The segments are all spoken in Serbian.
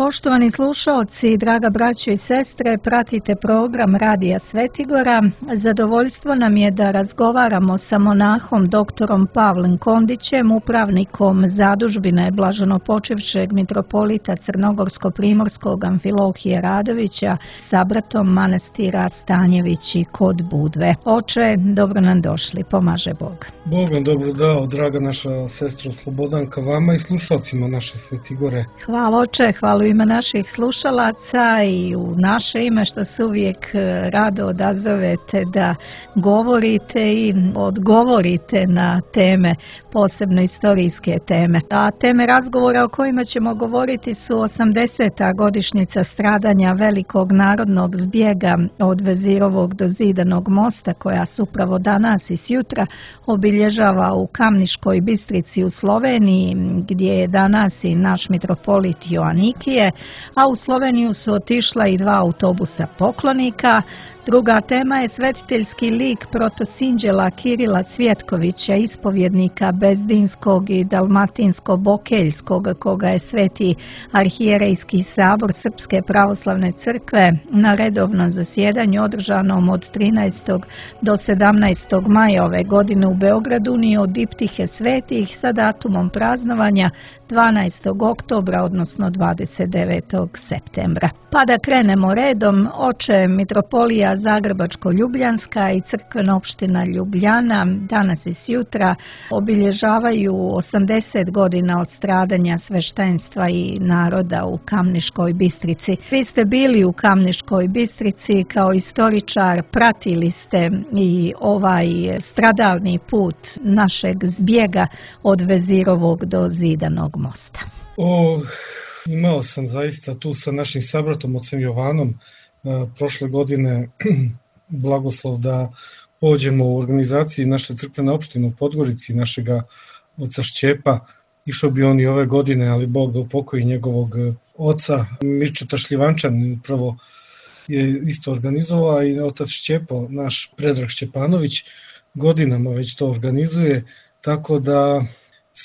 Poštovani slušaoci, draga braćo i sestre, pratite program Radija Svetigora. Zadovoljstvo nam je da razgovaramo sa monahom doktorom Pavlem Kondićem, upravnikom zadužbine blaženopočivšeg mitropolita Crnogorsko-primorskog Amfilohije Radovića, sabratom manastira Stanjevići kod Budve. Oče, dobro nam došli, pomaže Bog. Bog vam dobro dao, draga naša sestra Slobodanka, vama i slušalcima naše Svetigore. Hvala oče, hvala u ime naših slušalaca i u naše ime što se uvijek rado odazovete da govorite i odgovorite na teme, posebno istorijske teme. A teme razgovora o kojima ćemo govoriti su 80. godišnjica stradanja velikog narodnog zbjega od Vezirovog do Zidanog mosta, koja se upravo danas i sjutra obilježava u Kamniškoj Bistrici u Sloveniji, gdje je danas i naš mitropolit Joanikije, a u Sloveniju su otišla i 2 autobusa poklonika. Druga tema je svetiteljski lik protosinđela Kirila Cvjetkovića, ispovjednika Bezdinskog i Dalmatinsko-Bokeljskog, koga je Sveti arhijerejski sabor Srpske pravoslavne crkve na redovnom zasjedanju održanom od 13. do 17. maja ove godine u Beogradu unio od diptihe svetih sa datumom praznovanja 12. oktobra, odnosno 29. septembra. Pa da krenemo redom, oče, mitropolija Zagrebačko-Ljubljanska i crkvena opština Ljubljana danas i sjutra obilježavaju 80 godina od stradanja sveštenstva i naroda u Kamniškoj Bistrici. Vi ste bili u Kamniškoj Bistrici kao istoričar, pratili ste i ovaj stradalni put našeg zbjega od Vezirovog do Zidanog mosta. Imao sam zaista tu sa našim sabratom ocem Jovanom prošle godine blagoslov da pođemo u organizaciji naše crkvene opštine u Podgorici, našega oca Šćepa. Išao bi on i ove godine, ali Bog da upokoji njegovog oca. Mirčeta Šljivančan upravo je isto organizovao i otac Šćepo, naš Predrag Šćepanović, godinama već to organizuje, tako da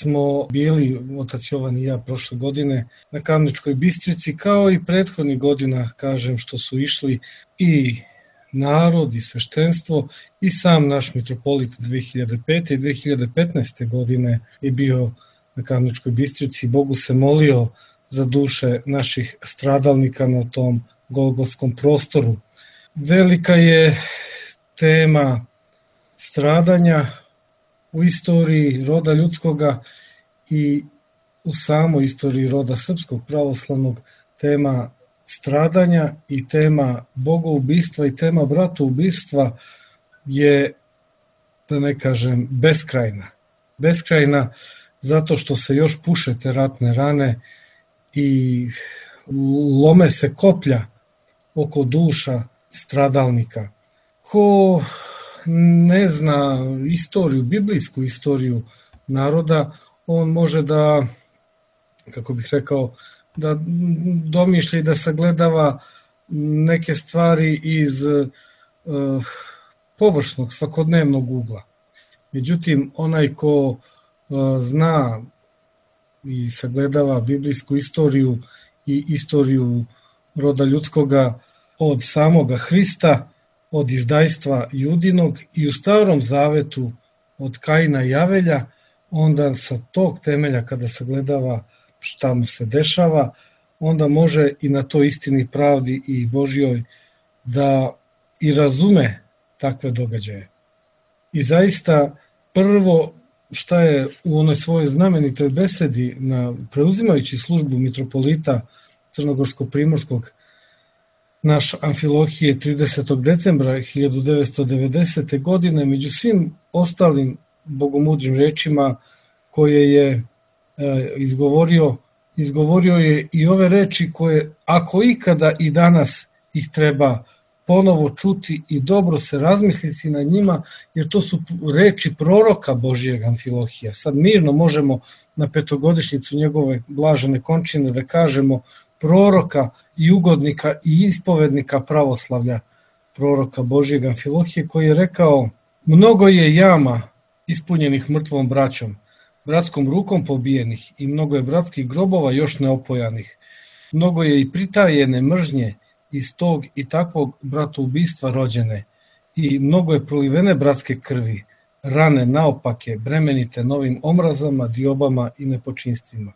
smo bili, otac Jovan i ja, prošle godine na Kamničkoj Bistrici, kao i prethodnih godina, kažem, što su išli i narod i sveštenstvo i sam naš mitropolit 2005. i 2015. godine je bio na Kamničkoj Bistrici. Bogu se molio za duše naših stradalnika na tom golgotskom prostoru. Velika je tema stradanja u istoriji roda ljudskoga i u samoj istoriji roda srpskog pravoslavnog. Tema stradanja i tema bogoubistva i tema bratoubistva je, da ne kažem, beskrajna. Beskrajna zato što se još puše te ratne rane i lome se koplja oko duša stradalnika. Ko ne zna istoriju, biblijsku istoriju naroda, on može da, kako bih rekao, da domišlja i da sagledava neke stvari iz površnog, svakodnevnog ugla. Međutim, onaj ko zna i sagledava biblijsku istoriju i istoriju roda ljudskoga od samoga Hrista, od izdajstva Judinog i u Starom Zavetu od Kaina i Avelja, onda sa tog temelja kada sagledava šta mu se dešava, onda može i na toj istini, pravdi i Božjoj da i razume takve događaje. I zaista prvo šta je u onoj svojoj znamenitoj besedi preuzimajući službu mitropolita Crnogorsko-primorskog naš Amfilohije 30. decembra 1990. godine, među svim ostalim bogomudrim rečima koje je izgovorio je i ove reči koje, ako ikada i danas ih treba ponovo čuti i dobro se razmisliti na njima, jer to su reči proroka Božijeg Amfilohija. Sad mirno možemo na petogodišnjicu njegove blažene končine da kažemo proroka i ugodnika i ispovednika pravoslavlja, proroka Božijeg Amfilohije, koji je rekao: mnogo je jama ispunjenih mrtvom braćom, bratskom rukom pobijenih, i mnogo je bratskih grobova još neopojanih. Mnogo je i pritajene mržnje iz tog i takvog bratoubistva rođene i mnogo je prolivene bratske krvi, rane naopake, bremenite novim omrazama, diobama i nepočinstvima.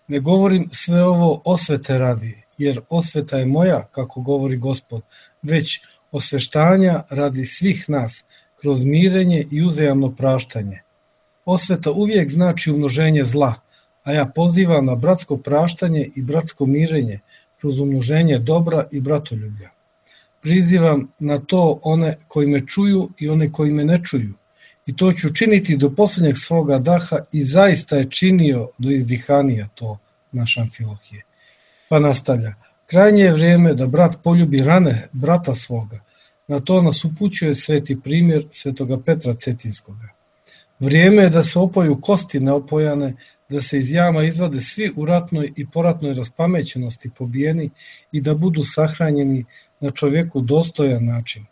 Ne govorim sve ovo osvete radi, jer osveta je moja, kako govori Gospod, već osveštanja radi svih nas, kroz mirenje i uzajamno praštanje. Osveta uvijek znači umnoženje zla, a ja pozivam na bratsko praštanje i bratsko mirenje, kroz umnoženje dobra i bratoljublja. Prizivam na to one koji me čuju i one koji me ne čuju, i to ću činiti do posljednjeg svoga daha, i zaista je činio do izdihanija to naš Amfilohije. Pa nastavlja, krajnje je vrijeme da brat poljubi rane brata svoga, na to nas upućuje sveti primjer svetoga Petra Cetinskoga. Vrijeme je da se opoju kosti neopojane, da se iz jama izvade svi u ratnoj i poratnoj raspamećenosti pobijeni i da budu sahranjeni na čovjeku dostojan način.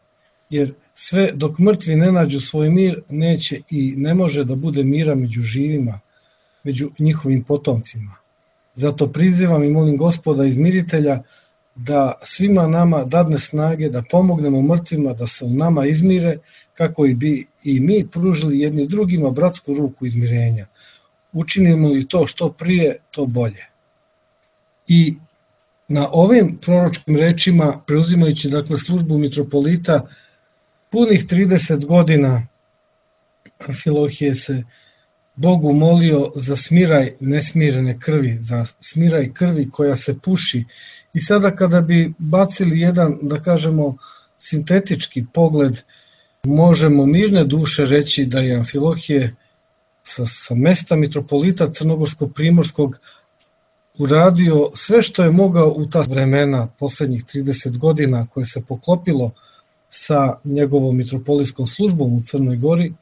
Jer sve dok mrtvi ne nađu svoj mir, neće i ne može da bude mira među živima, među njihovim potomcima. Zato prizivam i molim Gospoda izmiritelja da svima nama dadne snage da pomognemo mrtvima da se u nama izmire, kako bi i mi pružili jedni drugima bratsku ruku izmirenja. Učinimo li to što prije, to bolje. I na ovim proročkim rečima, preuzimajući dakle službu mitropolita, punih 30 godina Amfilohije se Bogu molio za smiraj nesmirene krvi, za smiraj krvi koja se puši. I sada kada bi bacili jedan, da kažemo, sintetički možemo mirne duše reći da je Amfilohije sa mesta mitropolita Crnogorsko-Primorskog uradio sve što je mogao u ta vremena, posljednjih 30 godina, koje se poklopilo sa njegovom mitropolijskom službom u Crnoj Gori,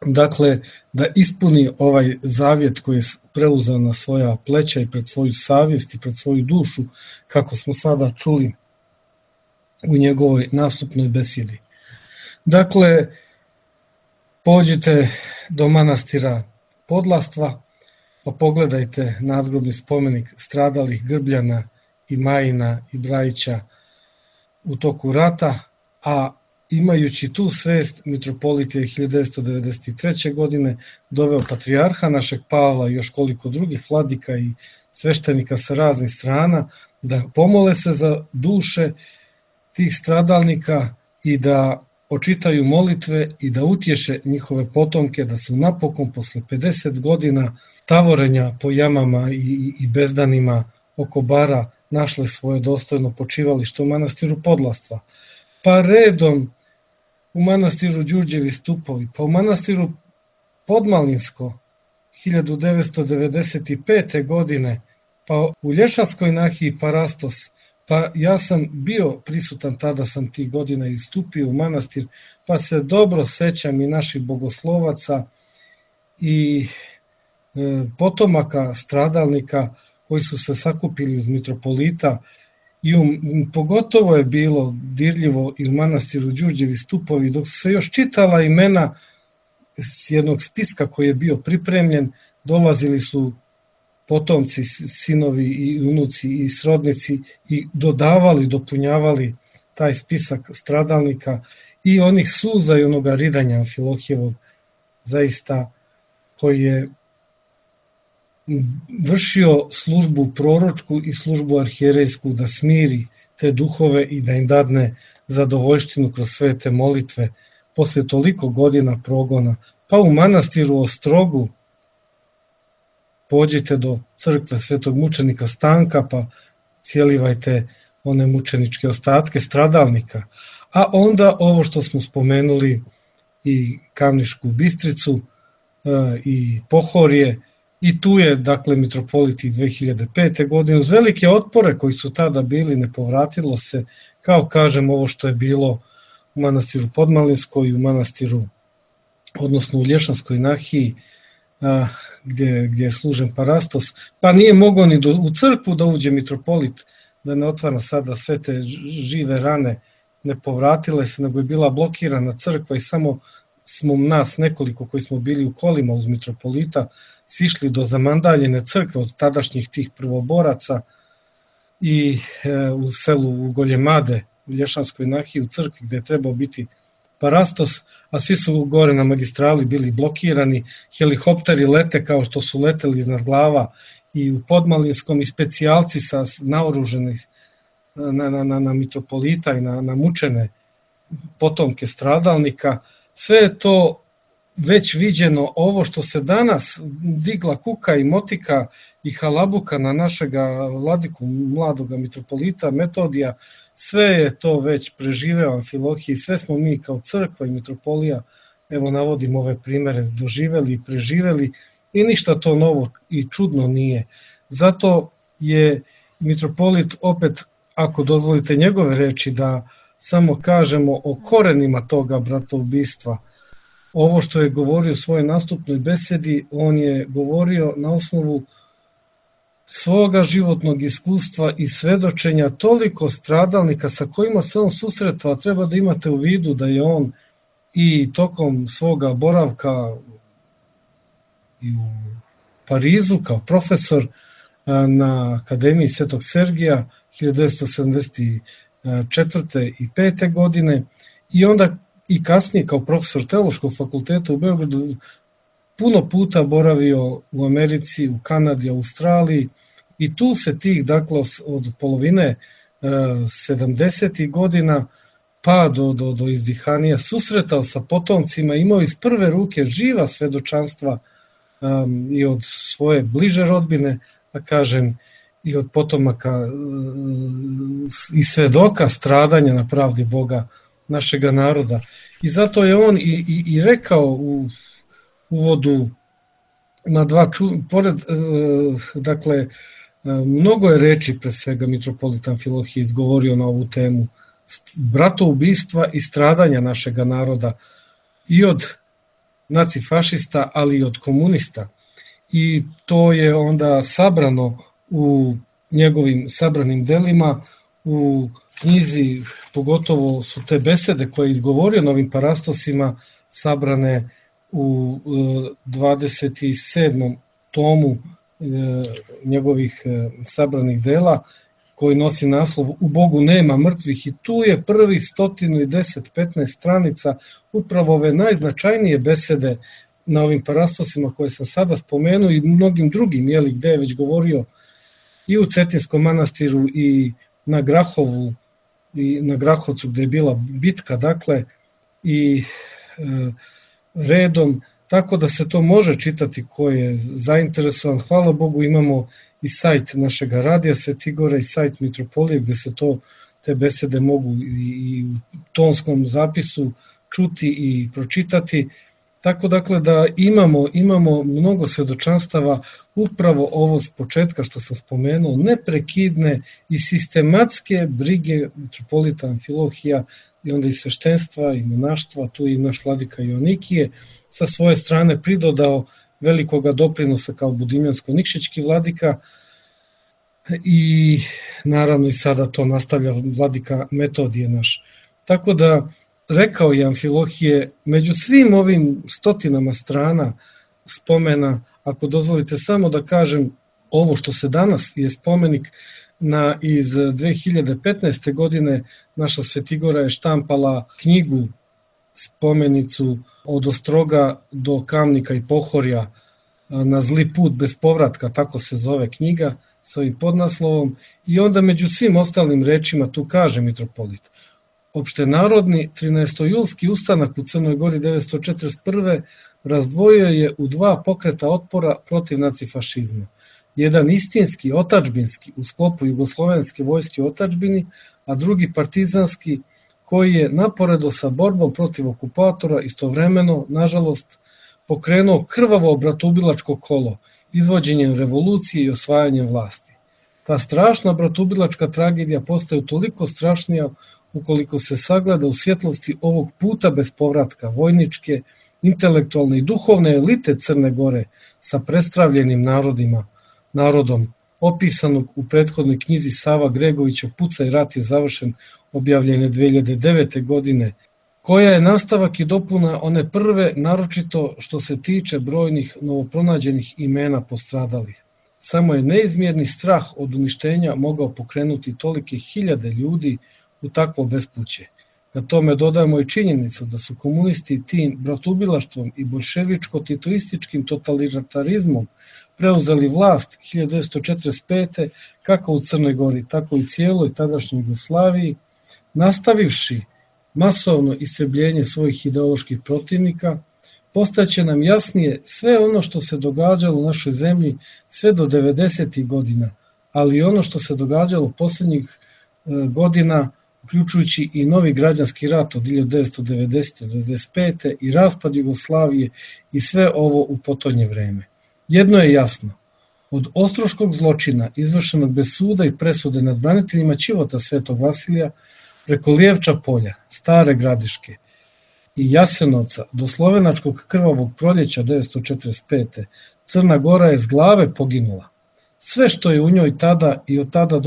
dakle da ispuni ovaj zavjet koji je preuzeo na svoja pleća i pred svoju savjest i pred svoju dušu, kako smo sada čuli u njegovoj nastupnoj besjedi. Dakle, pođite do manastira Podlastva, pa pogledajte nadgrobni spomenik stradalih Grbljana i Majina i Brajića u toku rata, a imajući tu svest, mitropolit je 1993. godine doveo patrijarha našeg Pavla i još koliko drugih vladika i sveštenika sa raznih strana da pomole se za duše tih stradalnika i da očitaju molitve i da utješe njihove potomke da su napokon posle 50 godina tavorenja po jamama i bezdanima oko bara našle svoje dostojno počivalište u manastiru Podlastva. Pa redom u manastiru Đurđevi stupovi, pa u manastiru Podmalinsko 1995. godine, pa u Lješanskoj nahiji Parastos. Pa ja sam bio prisutan, tada sam tih godina istupio u manastir, pa se dobro sećam i naših bogoslovaca i potomaka stradalnika koji su se sakupili uz mitropolita i pogotovo je bilo dirljivo i u manastiru Đurđevi stupovi, dok su se još čitala imena s jednog spiska koji je bio pripremljen, dolazili su potomci, sinovi i unuci i srodnici i dodavali, dopunjavali taj spisak stradalnika i onih suza i onoga ridanja Amfilohijevog, zaista, koji je vršio službu proročku i službu arhijerejsku da smiri te duhove i da im dadne zadovoljštinu kroz sve te molitve posle toliko godina progona. Pa u manastiru Ostrogu pođite do crkve svetog mučenika Stanka, pa cijelivajte one mučeničke ostatke stradalnika. A onda ovo što smo spomenuli i Kamnišku Bistricu i Pohorje, i tu je dakle mitropolit 2005. godine uz velike otpore koji su tada bili, ne povratilo se, kao kažem ovo što je bilo u manastiru Podmalinskoj i u manastiru, odnosno u Lješanskoj nahiji, gdje je služen Parastos, pa nije mogao ni u crkvu da uđe mitropolit, da ne otvara sada sve te žive rane, ne povratile se, nego je bila blokirana crkva i samo smo nas nekoliko koji smo bili u kolima uz mitropolita sišli do zamandaljene crkve od tadašnjih tih prvoboraca i u selu u Goljemade, u Lješanskoj nahiji, u crkvi gde je trebao biti parastos, a svi su gore na magistrali bili blokirani, helikopteri lete kao što su leteli iznad glava i u Podmalinskom, i specijalci sa naoruženih na mitropolita i na mučene potomke stradalnika. Sve je to već viđeno. Ovo što se danas digla kuka i motika i halabuka na našega vladiku, mladoga mitropolita Metodija, sve je to već preživeo Amfilohije, sve smo mi kao crkva i mitropolija, evo navodim ove primere, doživeli i preživeli, i ništa to novo i čudno nije. Zato je mitropolit, opet, ako dozvolite njegove reči, da samo kažemo o korenima toga bratoubistva. Ovo što je govorio u svojoj nastupnoj besedi, on je govorio na osnovu svoga životnog iskustva i svedočenja toliko stradalnika sa kojima se on susretao. Treba da imate u vidu da je on i tokom svoga boravka i u Parizu kao profesor na Akademiji Svetog Sergija 1974. i 5. godine, i onda i kasnije kao profesor Teološkog fakulteta u Beogradu puno puta boravio u Americi, u Kanadi, Australiji, i tu se tih, dakle, od polovine 70. godina pa do izdihanija susretao sa potomcima, imao iz prve ruke živa svedočanstva i od svoje bliže rodbine, da kažem, i od potomaka i svedoka stradanja na pravdi Boga našega naroda. I zato je on i rekao u uvodu na pored, dakle, mnogo je reči, pre svega mitropolit Amfilohije izgovorio na ovu temu bratoubistva i stradanja našega naroda i od nacifašista, ali i od komunista. I to je onda sabrano u njegovim sabranim delima, u knjizi, pogotovo su te besede koje je izgovorio na ovim parastosima sabrane u 27. tomu njegovih sabranih dela, koji nosi naslov U Bogu nema mrtvih, i tu je prvih 110-15 stranica upravo ove najznačajnije besede na ovim parastosima koje sam sada spomenuo i mnogim drugim, gde je već govorio i u Cetinskom manastiru i na Grahovu i na Grahovcu gde je bila bitka, dakle, i redom, tako da se to može čitati ko je zainteresovan. Hvala Bogu, imamo i sajt našeg radija Svetigora i sajt mitropolije gde se te besede mogu i u tonskom zapisu čuti i pročitati. Tako, dakle, da imamo mnogo svedočanstava, upravo ovo s početka što sam spomenuo, neprekidne i sistematske brige mitropolita Amfilohija i onda i sveštenstva i monaštva, tu i naš vladika Joanikije, sa svoje strane pridodao velikoga doprinosa kao budimljansko-nikšićki vladika, i naravno i sada to nastavlja vladika Metodije naš. Tako da, rekao je Amfilohije, među svim ovim stotinama strana spomena, ako dozvolite samo da kažem ovo što se danas je spomenik iz 2015. godine, naša Svetigora je štampala knjigu, spomenicu od Ostroga do Kamnika i Pohorja na zli put bez povratka, tako se zove knjiga, s ovim podnaslovom, i onda među svim ostalim rečima tu kaže mitropolit: opštenarodni 13-julski ustanak u Crnoj Gori 1941. razdvojio je u dva pokreta otpora protiv nacifašizma. Jedan istinski, otadžbinski, u sklopu Jugoslovenske vojske u otadžbini, a drugi partizanski, koji je naporedo sa borbom protiv okupatora istovremeno, nažalost, pokrenuo krvavo bratoubilačko kolo, izvođenjem revolucije i osvajanjem vlasti. Ta strašna bratoubilačka tragedija postaje toliko strašnija ukoliko se sagleda u svjetlosti ovog puta bez povratka vojničke, intelektualne i duhovne elite Crne Gore sa prestravljenim narodom, opisanog u prethodnoj knjizi Sava Gregovića Pucaj, rat je završen, objavljene 2009. godine, koja je nastavak i dopuna one prve, naročito što se tiče brojnih novopronađenih imena postradalih. Samo je neizmjerni strah od uništenja mogao pokrenuti tolike hiljade ljudi u takvo bespuće. Na tome dodajemo i činjenicu da su komunisti tim bratoubilaštvom i bolševičko-titoističkim totalitarizmom preuzeli vlast 1945. kako u Crnoj Gori, tako i cijeloj tadašnjoj Jugoslaviji, nastavivši masovno istrebljenje svojih ideoloških protivnika, postaće nam jasnije sve ono što se događalo u našoj zemlji sve do 90. godina, ali i ono što se događalo posljednjih godina, uključujući i novi građanski rat od 1990. do 1995. i raspad Jugoslavije i sve ovo u potonje vreme. Jedno je jasno, od ostroškog zločina izvršenog bez suda i presude nad braniteljima Ćivota Svetog Vasilija preko Lijevča polja, Stare Gradiške i Jasenovca do slovenačkog krvavog proljeća 1945. Crna Gora je s glave poginula. Sve što je u njoj tada i od tada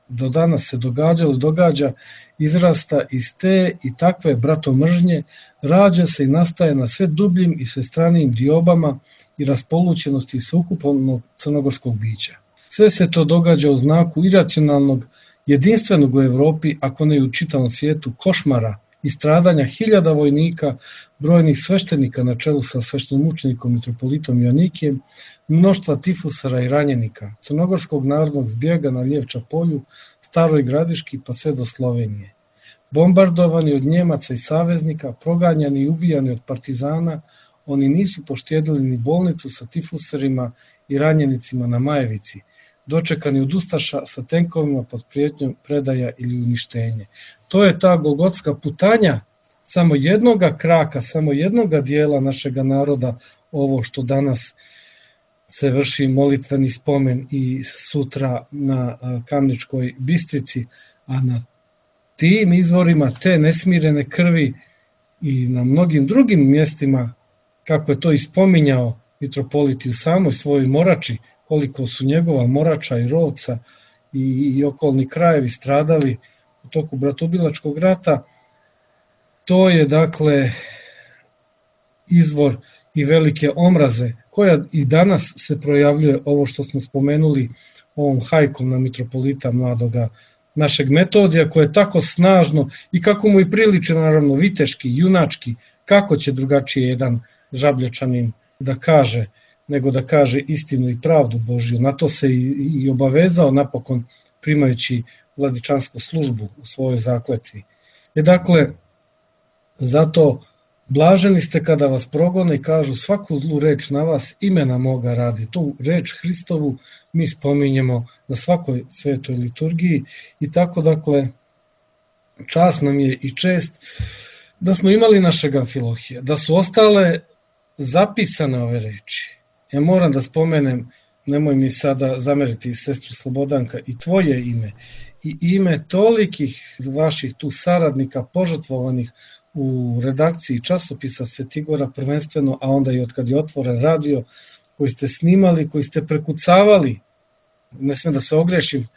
do danas se događalo i događa, izrasta iz te i takve bratomržnje, rađa se i nastaje na sve dubljim i svestranijim diobama i raspolućenosti sveukupnog crnogorskog bića. Sve se to događa u znaku iracionalnog, jedinstvenog u Evropi, ako ne i u čitavom svijetu, košmara i stradanja hiljada vojnika, brojnih sveštenika na čelu sa sveštenomučenikom mitropolitom Joanikijem, mnoštva tifusara i ranjenika, crnogorskog narodnog zbjega na Lijevča polju, Staroj Gradiški pa sve do Slovenije. Bombardovani od Njemaca i saveznika, proganjani i ubijani od partizana, oni nisu poštedili ni bolnicu sa tifusarima i ranjenicima na Majevici, dočekani od ustaša sa tenkovima pod prijetnjom predaja ili uništenje. To je ta golgotska putanja samo jednoga kraka, samo jednoga dijela našega naroda, ovo što danas se vrši molitveni spomen i sutra na Kamničkoj Bistrici, a na tim izvorima te nesmirene krvi i na mnogim drugim mjestima, kako je to ispominjao mitropolit u samoj svojoj Morači, koliko su njegova Morača i Rovca i okolni krajevi stradali u toku bratoubilačkog rata, to je dakle izvor i velike omraze, koja i danas se projavljuje, ovo što smo spomenuli ovom hajkom na mitropolita mladoga našeg Metodija, koje je tako snažno i kako mu i priliče naravno viteški, junački, kako će drugačije jedan Žablječanin da kaže, nego da kaže istinu i pravdu Božju. Na to se i obavezao napokon primajući vladičansku službu u svojoj zakletvi. Dakle, zato blaženi ste kada vas progone i kažu svaku zlu reč na vas imena moga radi. Tu reč Hristovu mi spominjemo na svakoj svetoj liturgiji i tako dakle čast nam je i čest da smo imali našeg Amfilohija, da su ostale zapisane ove reči. Ja moram da spomenem, nemoj mi sada zameriti sestru Slobodanka, i tvoje ime i ime tolikih vaših tu saradnika požrtvovanih u redakciji časopisa Svetigora prvenstveno, a onda i od kad je otvoren radio, koji ste snimali, koji ste prekucavali, ne smijem da se ogrešim,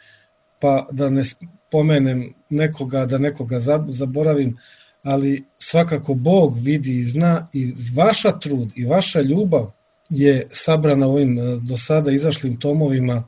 pa da ne spomenem nekoga, da nekoga zaboravim, ali svakako Bog vidi i zna i vaša trud i vaša ljubav je sabrana u ovim do sada izašlim tomovima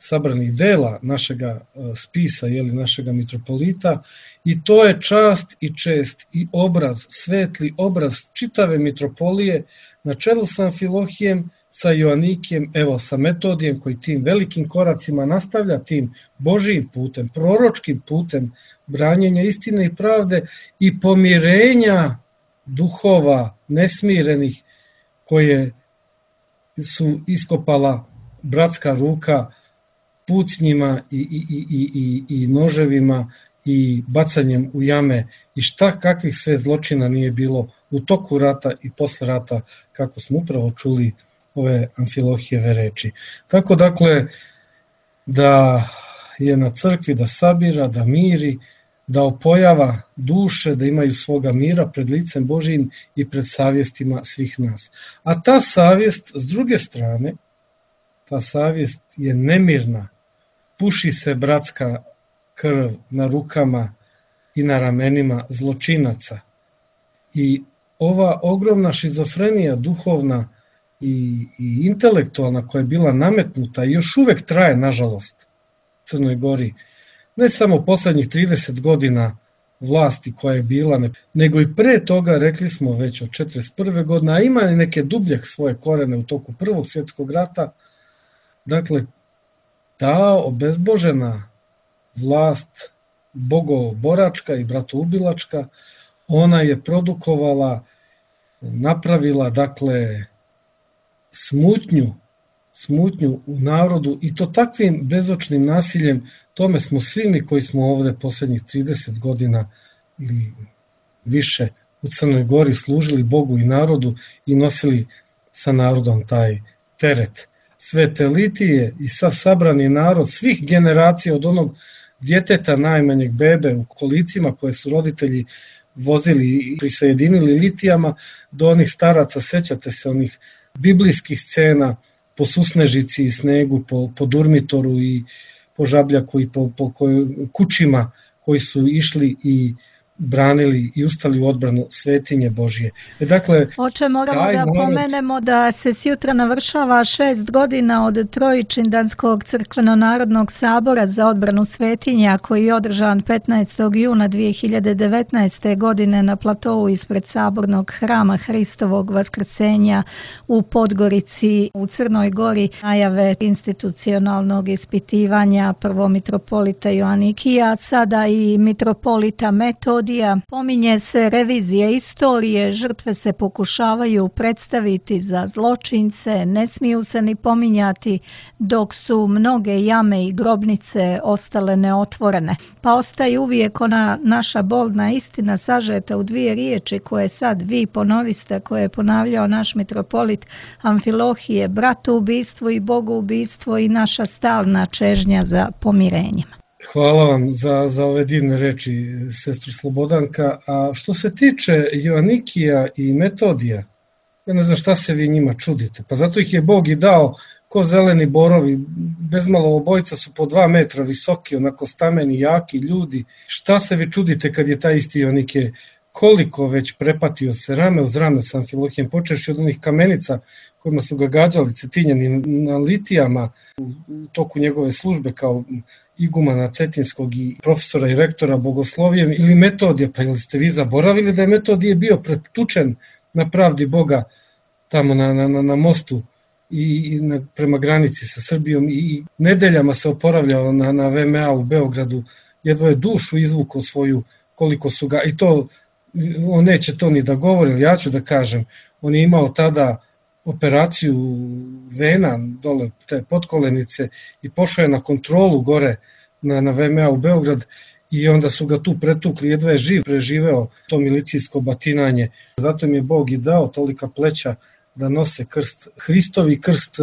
sabranih dela našega spisa, našega mitropolita, i to je čast i čest i obraz, svetli obraz čitave mitropolije na čelu sa Amfilohijem, sa Joanikijem, evo sa Metodijem, koji tim velikim koracima nastavlja tim Božijim putem, proročkim putem branjenja istine i pravde i pomirenja duhova nesmirenih koje su iskopala bratska ruka pucnjima i noževima i bacanjem u jame i kakvih sve zločina nije bilo u toku rata i posle rata, kako smo upravo čuli ove Amfilohijeve reči. Tako dakle da je na crkvi da sabira, da miri, da opojava duše, da imaju svoga mira pred licem Božijim i pred savjestima svih nas. A ta savjest, s druge strane, ta savjest je nemirna, puši se bratska krv na rukama i na ramenima zločinaca. I ova ogromna šizofrenija duhovna i intelektualna koja je bila nametnuta i još uvek traje, nažalost, Crnoj Gori, ne samo poslednjih 30 godina vlasti koja je bila, nego i pre toga, rekli smo već od 41. godine, a ima i neke dublje svoje korene u toku Prvog svjetskog rata. Dakle, ta obezbožena vlast bogoboračka i bratoubilačka, ona je produkovala, napravila, dakle, smutnju u narodu i to takvim bezočnim nasiljem. Tome smo svi mi koji smo ovde poslednjih 30 godina ili više u Crnoj Gori služili Bogu i narodu i nosili sa narodom taj teret. Sve te litije i sav sabrani narod svih generacija od onog djeteta najmanjeg bebe u kolicima koje su roditelji vozili i prisajedinili litijama do onih staraca, sećate se onih biblijskih scena po susnežici i snegu, po Durmitoru i po Žabljaku i po kućima koji su išli i branili i ustali u odbranu svetinje Božje. Dakle, oče, moramo da pomenemo da se sjutra navršava 6 godina od Trojičindanskog crkveno-narodnog sabora za odbranu svetinja koji je održan 15. juna 2019. godine na platovu ispred sabornog hrama Hristovog vaskrsenja u Podgorici u Crnoj Gori. Najave institucionalnog ispitivanja prvo mitropolita Joanikija, sada i mitropolita Metodija. Pominje se revizija istorije, žrtve se pokušavaju predstaviti za zločince, ne smiju se ni pominjati dok su mnoge jame i grobnice ostale neotvorene. Pa ostaje uvijek ona naša bolna istina sažeta u 2 riječi koje sad vi ponoviste, koje je ponavljao naš mitropolit Amfilohije, bratoubistvo i bogoubistvo i naša stalna čežnja za pomirenjem. Hvala vam za ove divne reči, sestro Slobodanka. A što se tiče Joanikija i Metodija, ja ne znam šta se vi njima čudite. Pa zato ih je Bog i dao ko zeleni borovi, bezmalo obojica su po 2 metra visoki, onako stameni, jaki ljudi. Šta se vi čudite kad je taj isti Joanikije koliko već prepatio se rame uz rame sa Amfilohijem, počeši od onih kamenica kojima su ga gađali cetinjani na litijama u toku njegove službe kao igumana Cetinskog i profesora i rektora bogoslovijem, ili Metodija. Pa ili ste vi zaboravili da je Metodije bio pretučen na pravdi Boga tamo na mostu i prema granici sa Srbijom i nedeljama se oporavljao na VMA u Beogradu, jedva je dušu izvukao svoju, koliko su ga, i to on neće to ni da govori, ja ću da kažem, on je imao tada operaciju vena dole te potkolenice i pošao je na kontrolu gore na VMA u Beograd i onda su ga tu pretukli, jedva je živ preživeo to milicijsko batinanje. Zato mi je Bog i dao tolika pleća da nose krst, Hristovi krst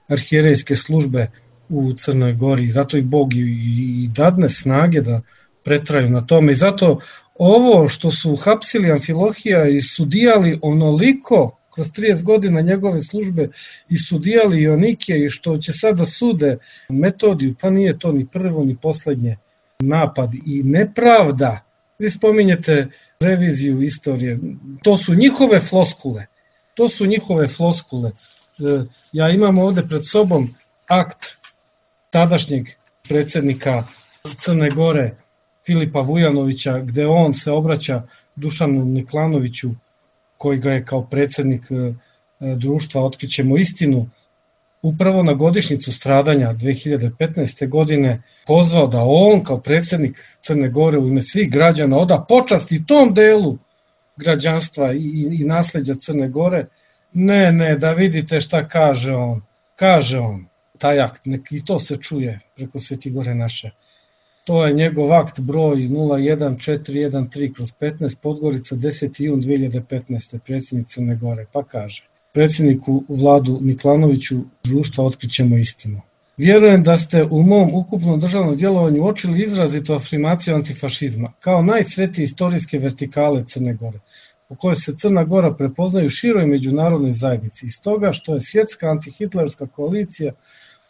arhijerejske službe u Crnoj Gori. Zato i Bog i dadne snage da pretraju na tome. I zato ovo što su hapsili Amfilohija i sudijali onoliko kroz 30 godina njegove službe i sudijali Joanikija i što će sada sude Metodiju, pa nije to ni prvo ni poslednje napad i nepravda. Vi spominjete reviziju istorije, to su njihove floskule. To su njihove floskule. Ja imam ovde pred sobom akt tadašnjeg predsjednika Crne Gore Filipa Vujanovića, gde on se obraća Dušanu Niklanoviću, koji ga je kao predsjednik društva Otkrićemo istinu, upravo na godišnjicu stradanja 2015. godine pozvao da on kao predsjednik Crne Gore u ime svih građana oda počast i tom delu građanstva i nasleđa Crne Gore. Ne, da vidite šta kaže on. Kaže on, taj akt, i to se čuje preko Svetigore naše. To je njegov akt broj 01413/15 Podgorica 10. jun 2015. predsjednik Crne Gore, pa kaže: predsjedniku Vladu Niklanoviću društva Otkrićemo istinu. Vjerujem da ste u mom ukupnom državnom djelovanju uočili izrazitu afirmaciju antifašizma kao najsvetije istorijske vertikale Crne Gore, u kojoj se Crna Gora prepoznaju široj međunarodnoj zajednici. Iz toga što je svjetska antihitlerska koalicija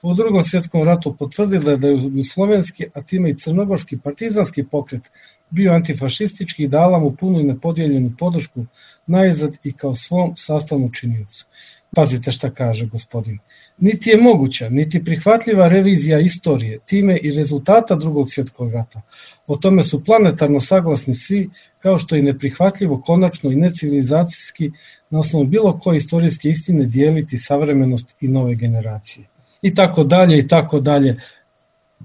u Drugom svjetskom ratu potvrdila da je jugoslovenski, a time i crnogorski partizanski pokret bio antifašistički i dala mu punu i nepodijeljenu podršku najzad i kao svom sastavnu činiocu. Pazite šta kaže gospodin. Niti je moguća, niti prihvatljiva revizija istorije, time i rezultata drugog svjetskog rata. O tome su planetarno saglasni svi, kao što je neprihvatljivo konačno i necivilizacijski na osnovu bilo koje istorijske istine dijeliti savremenost i nove generacije. I tako dalje, i tako dalje.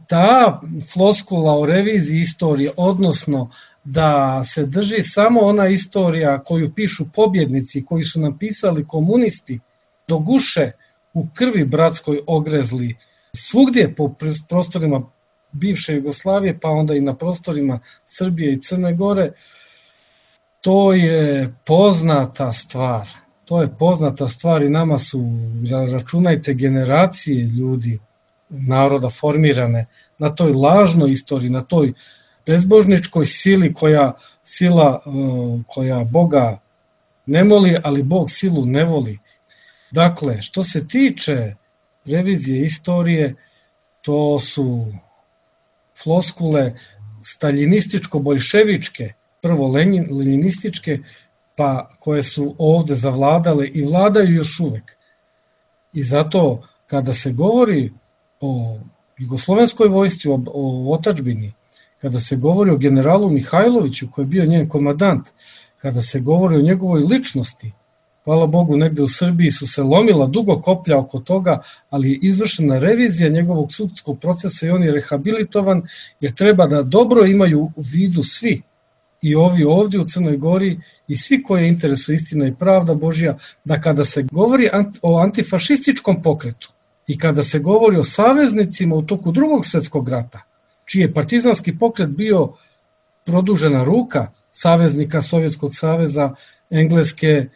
Ta floskula o reviziji istorije, odnosno da se drži samo ona istorija koju pišu pobjednici, koji su napisali komunisti, do guše u krvi bratskoj ogrezli, svugdje po prostorima bivše Jugoslavije, pa onda i na prostorima Srbije i Crne Gore, to je poznata stvar. To je poznata stvar i nama su, računajte, generacije ljudi, naroda formirane na toj lažnoj istoriji, na toj bezbožničkoj sili koja Boga ne voli, ali Bog silu ne voli. Dakle, što se tiče revizije istorije, to su floskule staljinističko-boljševičke, prvo leninističke, pa koje su ovde zavladale i vladaju još uvek. I zato kada se govori o jugoslovenskoj vojsci, o otadžbini, kada se govori o generalu Mihajloviću koji je bio njen komandant, kada se govori o njegovoj ličnosti, hvala Bogu, negde u Srbiji su se lomila dugo koplja oko toga, ali je izvršena revizija njegovog sudskog procesa i on je rehabilitovan, jer treba da dobro imaju u vidu svi, i ovi ovdje u Crnoj Gori i svi koje interesuje istina i pravda Božja, da kada se govori o antifašističkom pokretu i kada se govori o saveznicima u toku drugog svjetskog rata, čiji je partizanski pokret bio produžena ruka saveznika Sovjetskog saveza, Engleske,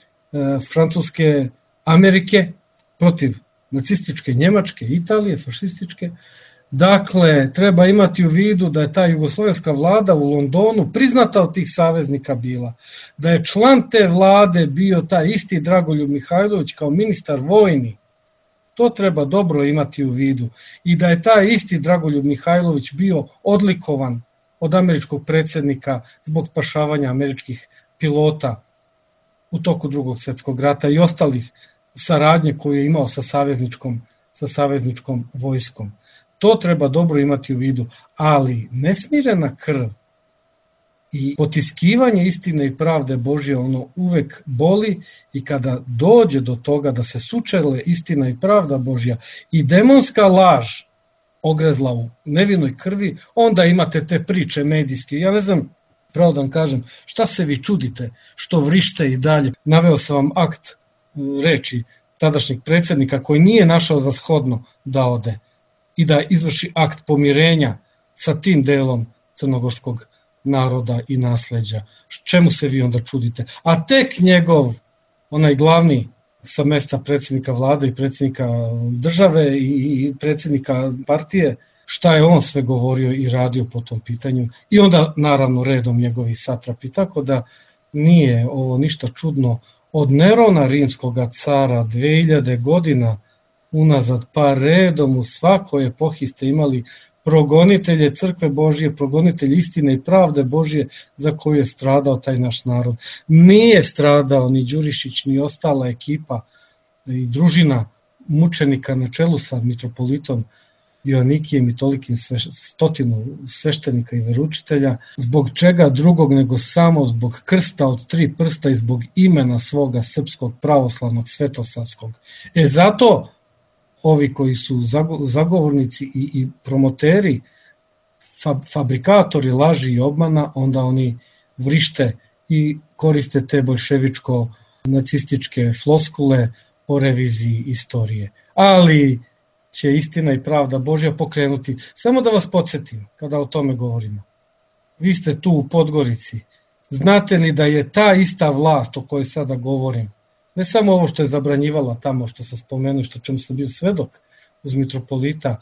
Francuske, Amerike protiv nacističke Njemačke, Italije, fašističke. Dakle, treba imati u vidu da je ta jugoslovenska vlada u Londonu priznata od tih saveznika bila, da je član te vlade bio taj isti Dragoljub Mihajlović kao ministar vojni. To treba dobro imati u vidu. I da je taj isti Dragoljub Mihajlović bio odlikovan od američkog predsjednika zbog spašavanja američkih pilota u toku drugog svjetskog rata i ostalih saradnje koje je imao sa savezničkom vojskom. To treba dobro imati u vidu, ali nesmirena krv i potiskivanje istine i pravde Božje, ono uvek boli, i kada dođe do toga da se sučele istina i pravda Božja i demonska laž ogrezla u nevinoj krvi, onda imate te priče medijske. Ja ne znam, pravo da vam kažem, šta se vi čudite što vrište i dalje. Naveo sam vam akt reči tadašnjeg predsjednika koji nije našao za shodno da ode i da izvrši akt pomirenja sa tim delom crnogorskog naroda i nasleđa. Čemu se vi onda čudite? A tek njegov, onaj glavni sa mesta predsjednika vlade i predsjednika države i predsjednika partije, šta je on sve govorio i radio po tom pitanju, i onda naravno redom njegovi satrapi. Tako da nije ovo ništa čudno. Od Nerona rimskog cara 2000 godina unazad, pa redom u svakoj epohi ste imali progonitelje crkve Božje, progonitelje istine i pravde Božje za koju je stradao taj naš narod. Nije stradao ni Đurišić, ni ostala ekipa i družina mučenika na čelu sa mitropolitom Joanikijem i tolikim stotinu sveštenika i veručitelja, zbog čega drugog nego samo zbog krsta od 3 prsta i zbog imena svoga srpskog pravoslavnog svetosavskog. Zato ovi koji su zagovornici i promoteri, fabrikatori laži i obmana, onda oni vrište i koriste te boljševičko-nacističke floskule o reviziji istorije. Ali će istina i pravda Božja pokrenuti. Samo da vas podsjetim, kada o tome govorimo. Vi ste tu u Podgorici. Znate li da je ta ista vlast o kojoj sada govorim, ne samo ovo što je zabranjivala tamo, što sam spomenuo, što čemu sam bio svedok uz mitropolita,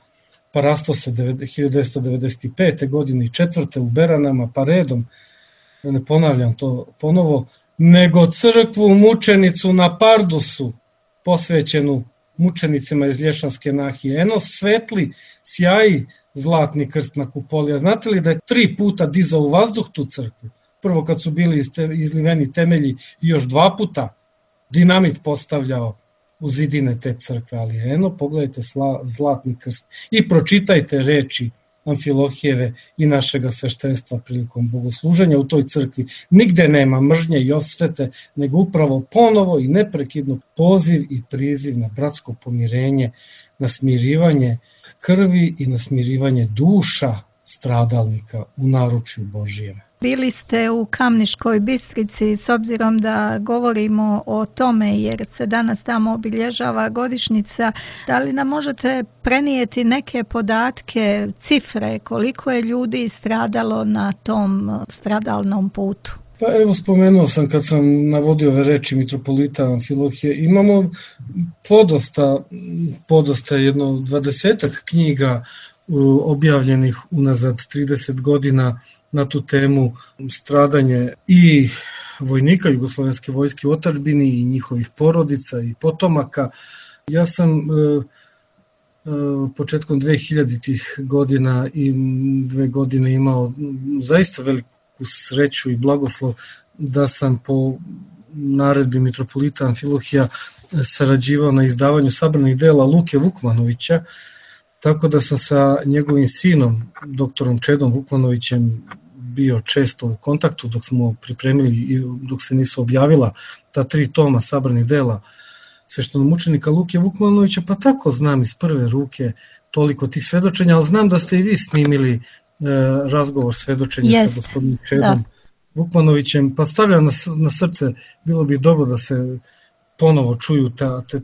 pa rasto se 1995. godine i 4. u Beranama, pa redom, da ne ponavljam to ponovo, nego crkvu mučenicu na Pardusu, posvećenu mučenicima iz Lješanske nahije. Eno svetli, sjaji zlatni krst na kupoli. A znate li da je 3 puta dizao u vazduh tu crkvu? Prvo kad su bili izliveni temelji i još 2 puta dinamit postavljao u zidine te crkve, ali eno pogledajte Zlatni krst i pročitajte reči Amfilohijeve i našega sveštenstva prilikom bogosluženja u toj crkvi. Nigde nema mržnje i osvete, nego upravo ponovo i neprekidno poziv i priziv na bratsko pomirenje, na smirivanje krvi i na smirivanje duša stradalnika u naručju Božijem. Bili ste u Kamniškoj Bistrici, s obzirom da govorimo o tome jer se danas tamo obilježava godišnjica. Da li nam možete prenijeti neke podatke, cifre, koliko je ljudi stradalo na tom stradalnom putu? Pa evo, spomenuo sam kad sam navodio ove reči mitropolita Amfilohije, imamo podosta jedno 20 knjiga objavljenih unazad 30 godina na tu temu stradanje i vojnika Jugoslovenske vojske u otadžbini i njihovih porodica i potomaka. Ja sam početkom 2000-ih godina i 2 godine imao zaista veliku sreću i blagoslov da sam po naredbi mitropolita Amfilohija sarađivao na izdavanju sabranih dela Luke Vukmanovića, tako da sam sa njegovim sinom, doktorom Čedom Vukmanovićem, bio često u kontaktu dok smo pripremili i dok se nisu objavila ta 3 toma sabranih dela sveštenomučenika Luke Vukmanovića, pa tako znam iz prve ruke toliko tih svedočenja, ali znam da ste i vi snimili razgovor svedočenja sa gospodinom Čedom Vukmanovićem, pa stavljam na srce, bilo bi dobro da se ponovo čuju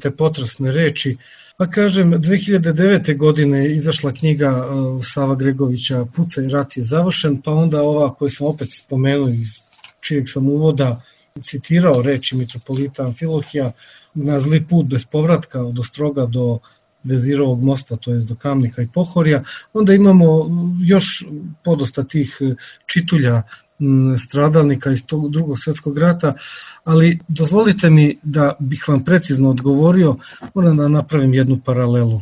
te potresne reči. Pa kažem, 2009. godine je izašla knjiga Sava Gregovića Pucaj, rat je završen, pa onda ova koju sam opet spomenuo iz čijeg sam uvoda citirao reči mitropolita Amfilohija na zli put bez povratka od Ostroga do Vezirovog mosta, to je do Kamnika i Pohorja. Onda imamo još podosta tih čitulja stradalnika iz tog Drugog svjetskog rata, ali dozvolite mi da bih vam precizno odgovorio, moram da napravim jednu paralelu.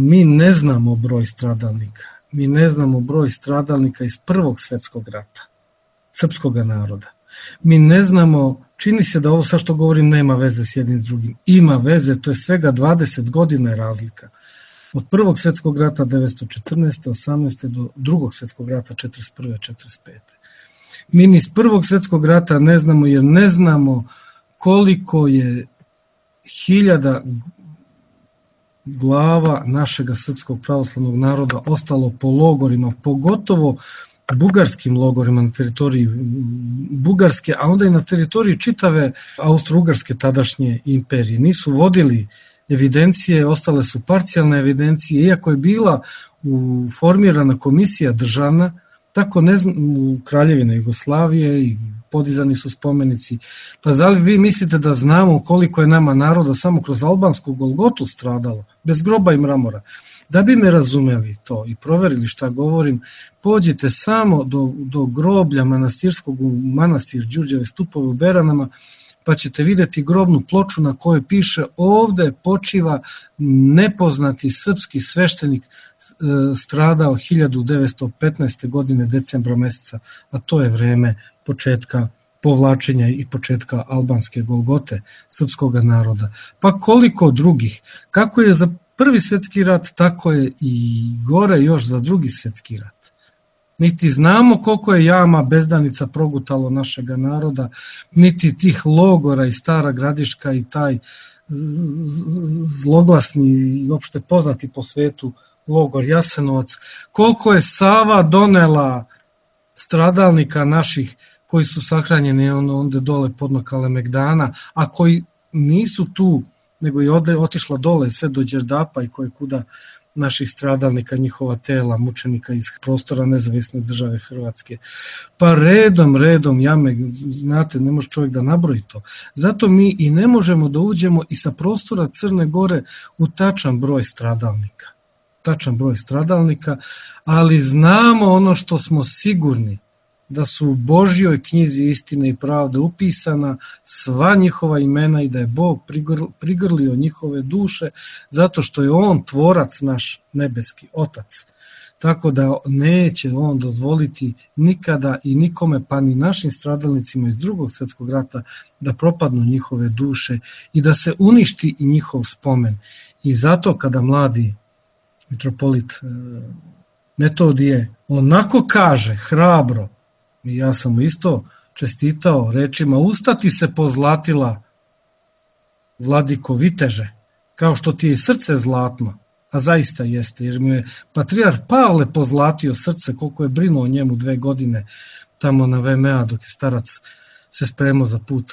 Mi ne znamo broj stradalnika. Mi ne znamo broj stradalnika iz Prvog svjetskog rata, srpskog naroda. Mi ne znamo, čini se da ovo sa što govorim nema veze s jednim s drugim. Ima veze, to je svega 20 godina razlika. Od Prvog svjetskog rata 1914. 18. do Drugog svjetskog rata 1941. 1945. Mi ni iz Prvog svjetskog rata ne znamo jer ne znamo koliko je hiljada glava našega srpskog pravoslavnog naroda ostalo po logorima, pogotovo bugarskim logorima na teritoriji Bugarske, a onda i na teritoriji čitave Austro-Ugarske tadašnje imperije. Nisu vodili evidencije, ostale su parcijalne evidencije, iako je bila formirana komisija državna, tako ne znam, u Kraljevine Jugoslavije i podizani su spomenici. Pa da li vi mislite da znamo koliko je nama naroda samo kroz albansku Golgotu stradalo, bez groba i mramora? Da bi me razumeli to i proverili šta govorim, pođite samo do groblja manastirskog u manastir Đurđeve Stupove u Beranama, pa ćete vidjeti grobnu ploču na kojoj piše ovde počiva nepoznati srpski sveštenik stradao 1915. godine decembra meseca, a to je vreme početka povlačenja i početka albanske Golgote srpskog naroda. Pa koliko drugih? Kako je za Prvi svjetski rat, tako je i gore još za Drugi svjetski rat. Niti znamo koliko je jama bezdanica progutalo našega naroda, niti tih logora i Stara Gradiška i taj zloglasni i opšte poznati po svetu logor Jasenovac, koliko je Sava donela stradalnika naših koji su sahranjeni onda dole podno Kalemegdana, a koji nisu tu, nego je otišla dole sve do Đerdapa i koje kuda naših stradalnika, njihova tela, mučenika iz prostora nezavisne države Hrvatske. Pa redom jame, znate, ne može čovjek da nabroji to. Zato mi i ne možemo da uđemo i sa prostora Crne Gore u tačan broj stradalnika, ali znamo ono što smo sigurni, da su u Božjoj knjizi Istine i pravde upisana sva njihova imena i da je Bog prigrlio njihove duše zato što je On tvorac naš nebeski Otac. tako da neće on dozvoliti nikada i nikome, pa ni našim stradalnicima iz Drugog svjetskog rata, da propadnu njihove duše i da se uništi i njihov spomen. I zato kada mladi mitropolit Metodije onako kaže, hrabro, i ja sam mu isto čestitao rečima, ustati se pozlatila, vladiko viteže, kao što ti je srce zlatno, a zaista jeste, jer mu je patrijarh Pavle pozlatio srce, koliko je brinuo o njemu 2 godine tamo na VMA dok je starac se spremao za put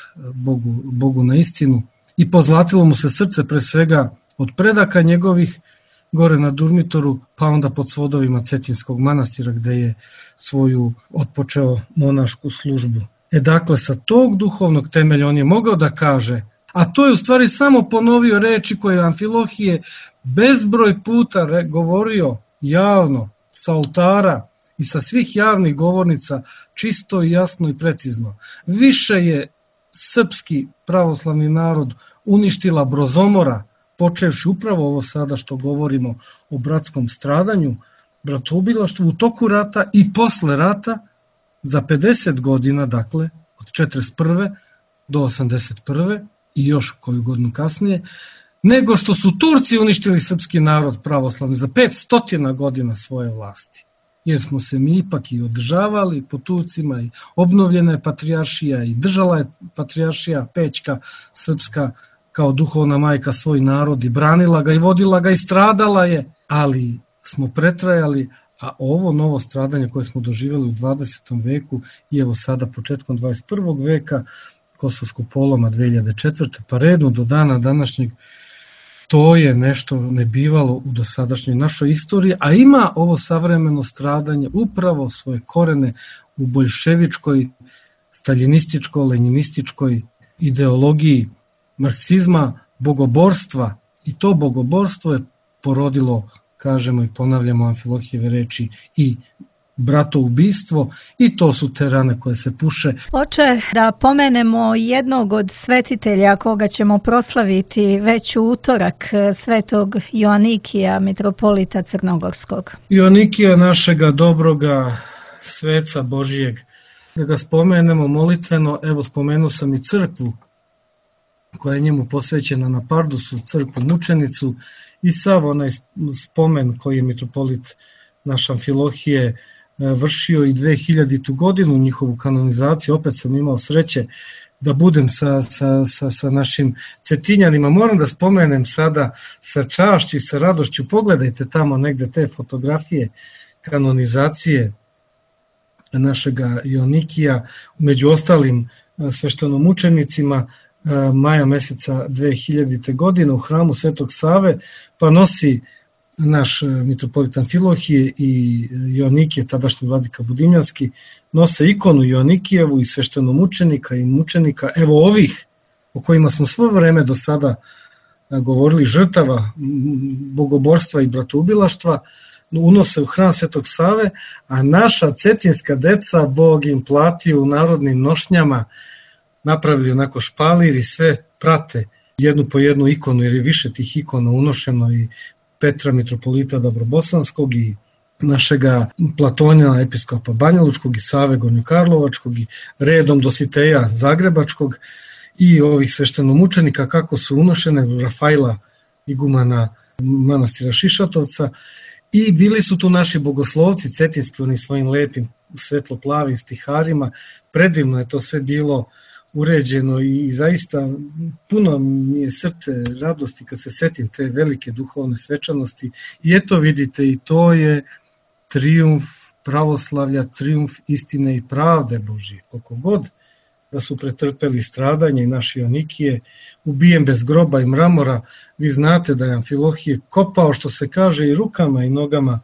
Bogu na istinu, i pozlatilo mu se srce pre svega od predaka njegovih gore na Durmitoru, pa onda pod svodovima Cetinskog manastira gde je svoju otpočeo monašku službu. Dakle, sa tog duhovnog temelja on je mogao da kaže, a to je u stvari samo ponovio reči koje je Amfilohije bezbroj puta govorio javno, sa oltara i sa svih javnih govornica, čisto i jasno i precizno. Više je srpski pravoslavni narod uništila Brozomora, počevši upravo ovo sada što govorimo o bratskom stradanju, bratoubilaštvu u toku rata i posle rata, za 50 godina, dakle, od 41. do 81. i još koju godinu kasnije, nego što su Turci uništili srpski narod pravoslavni za 500 godina svoje vlasti. Jer smo se mi ipak i održavali po Turcima i obnovljena je patrijaršija i držala je patrijaršija Pećka srpska kao duhovna majka svoj narod i branila ga i vodila ga i stradala je, ali smo pretrajali, a ovo novo stradanje koje smo doživjeli u 20. veku i evo sada početkom 21. veka, Kosovskog poloma 2004. pa redno do dana današnjeg, to je nešto nebivalo u dosadašnjoj našoj istoriji, a ima ovo savremeno stradanje upravo svoje korene u boljševičkoj, staljinističko-lenjinističkoj ideologiji marksizma, bogoborstva, i to bogoborstvo je porodilo, kažemo i ponavljamo Amfilohijeve reči, i bratoubistvo, i to su te rane koje se puše. Oče, da pomenemo jednog od svetitelja koga ćemo proslaviti već u utorak, svetog Joanikija, mitropolita Crnogorskog. Joanikija, našega dobroga sveca Božijeg, da ga spomenemo molitveno. Evo, spomenuo sam i crkvu koja je njemu posvećena na Pardusu, crkvu mučenicu, i sav onaj spomen koji je mitropolit naš Amfilohije vršio i 2000. godinu njihovu kanonizaciju. Opet sam imao sreće da budem sa našim Cetinjanima. Moram da spomenem sada sa čašću i sa radošću, pogledajte tamo negde te fotografije kanonizacije našega Joanikija, među ostalim sveštenomučenicima, maja meseca 2000. godine u hramu Svetog Save, pa nosi naš mitropolit Amfilohije i Joanikije, tadašnji vladika Budimljanski, nose ikonu Joanikijevu i sveštenomučenika i mučenika, evo ovih o kojima smo svo vreme do sada govorili, žrtava bogoborstva i bratoubilaštva, unose u hram Svetog Save, a naša cetinska deca Bog im platio u narodnim nošnjama, napravili onako špalir i sve prate jednu po jednu ikonu, jer je više tih ikona unošeno, i Petra mitropolita Dobrobosanskog i našega Platonjana episkopa Banjalučkog i Save Gornjokarlovačkog i redom Dositeja Zagrebačkog i ovih sveštenomučenika kako su unošene, Rafaila igumana manastira Šišatovca, i bili su tu naši bogoslovci cetinski, oni svojim lepim svetlo-plavim stiharima. Predivno je to sve bilo uređeno i zaista puno mi je srce radosti kad se setim te velike duhovne svečanosti. I eto vidite, i to je trijumf pravoslavlja, trijumf istine i pravde Božije. Koliko god da su pretrpeli stradanje i naši Joanikije, ubijen bez groba i mramora, vi znate da je Amfilohije kopao, što se kaže, i rukama i nogama,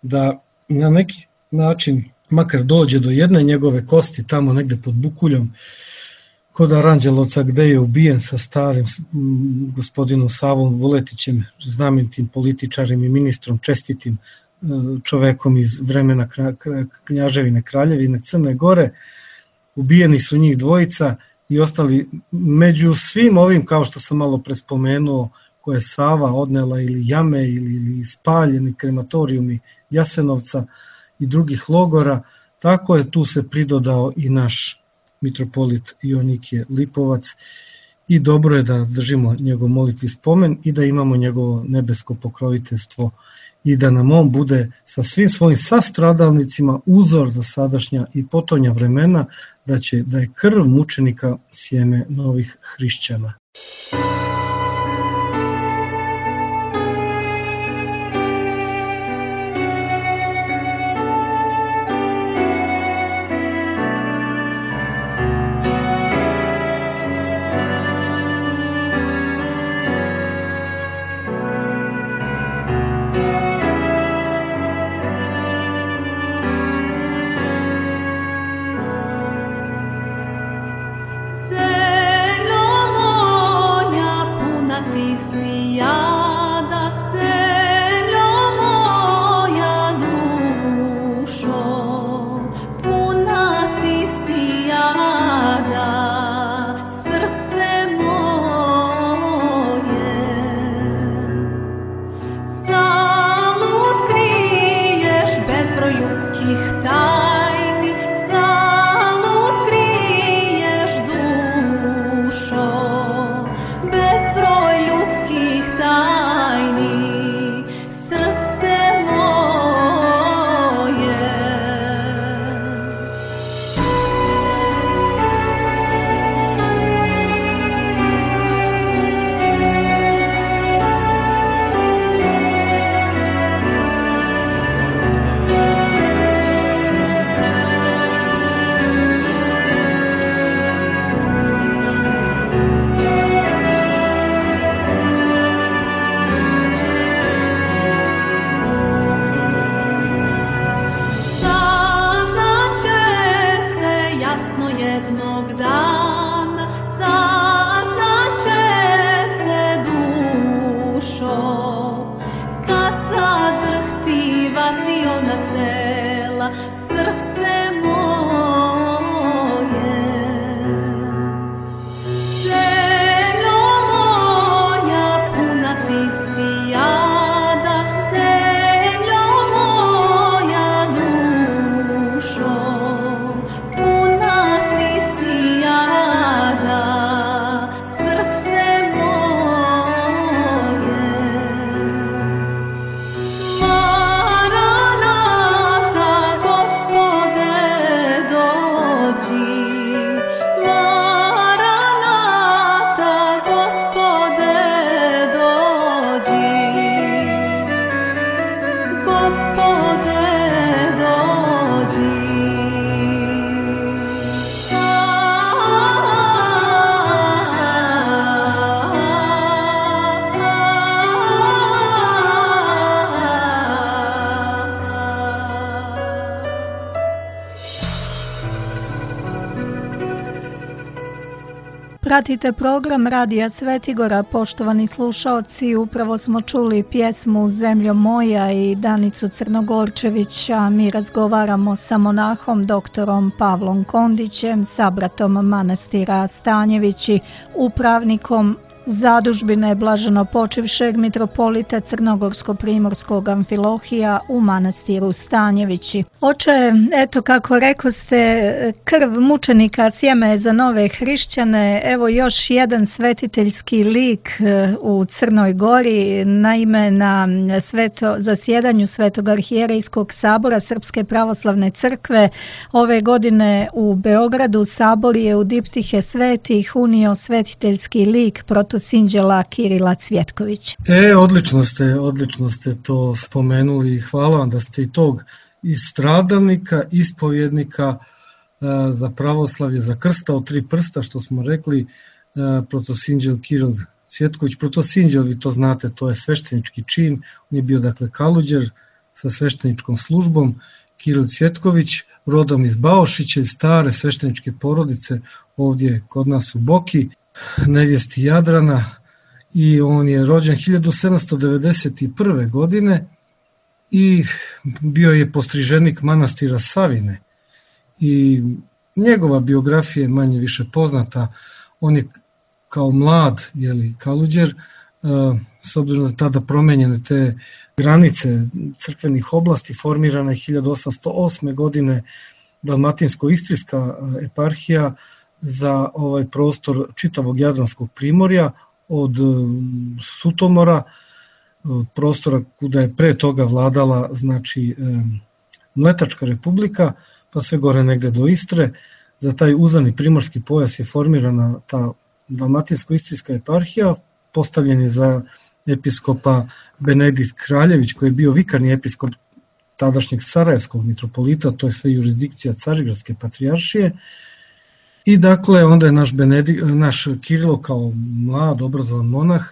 da na neki način makar dođe do jedne njegove kosti tamo negde pod Bukuljom, kod Aranđelovca, gde je ubijen sa starim gospodinom Savom Vuletićem, znamenitim političarim i ministrom, čestitim čovekom iz vremena Knjaževine Kraljevine Crne Gore. Ubijeni su njih dvojica i ostali među svim ovim, kao što sam malo prespomenuo, koje je Sava odnela, ili jame, ili spaljeni krematorijumi Jasenovca i drugih logora, tako je tu se pridodao i naš mitropolit Joanikije Lipovac i dobro je da držimo njegov molitvi spomen i da imamo njegovo nebesko pokroviteljstvo i da nam on bude sa svim svojim sastradalnicima uzor za sadašnja i potonja vremena, da je krv mučenika sjeme novih hrišćana. Pratite program Radija Svetigora, poštovani slušaoci, upravo smo čuli pjesmu Zemljo moja i Danicu Crnogorčević, a mi razgovaramo sa monahom doktorom Pavlom Kondićem, sabratom manastira Stanjevići, upravnikom zadužbine blaženopočivšeg mitropolita Crnogorsko-primorskog Amfilohija u manastiru Stanjevići. Oče, eto kako rekao ste, krv mučenika sjeme za nove hrišćane, evo još jedan svetiteljski lik u Crnoj Gori, naime na zasjedanju Svetog arhijerejskog sabora Srpske pravoslavne crkve ove godine u Beogradu sabor je u diptihe svetih unio svetiteljski lik protosinđela Kirila Cvjetković. Odlično ste to spomenuli i hvala vam da ste i tog i stradalnika, ispovjednika za pravoslavlje, za krsta od 3 prsta, što smo rekli, protosinđel Kiril Cvjetković. Protosinđel, vi to znate, to je sveštenički čin, on je bio dakle kaluđer sa svešteničkom službom. Kiril Cvjetković, rodom iz Baošića, iz stare svešteničke porodice ovdje kod nas u Boki, nevjesti Jadrana, i on je rođen 1791. godine i bio je postriženik manastira Savine. I njegova biografija je manje više poznata. On je kao mlad kaluđer s obzirom da tada promenjene te granice crkvenih oblasti, formirana je 1808. godine Dalmatinsko-istrijska eparhija za ovaj prostor čitavog Jadranskog primorja od Sutomora, prostora kuda je pre toga vladala znači Mletačka republika, pa sve gore negde do Istre. Za taj uzani primorski pojas je formirana ta Dalmatinsko-istrijska eparhija, postavljen je za episkopa Benedikt Kraljević, koji je bio vikarni episkop tadašnjeg Sarajevskog mitropolita, to je sve jurisdikcija Carigradske patrijaršije. I dakle, onda je naš Kirilo kao mlad, obrazovan monah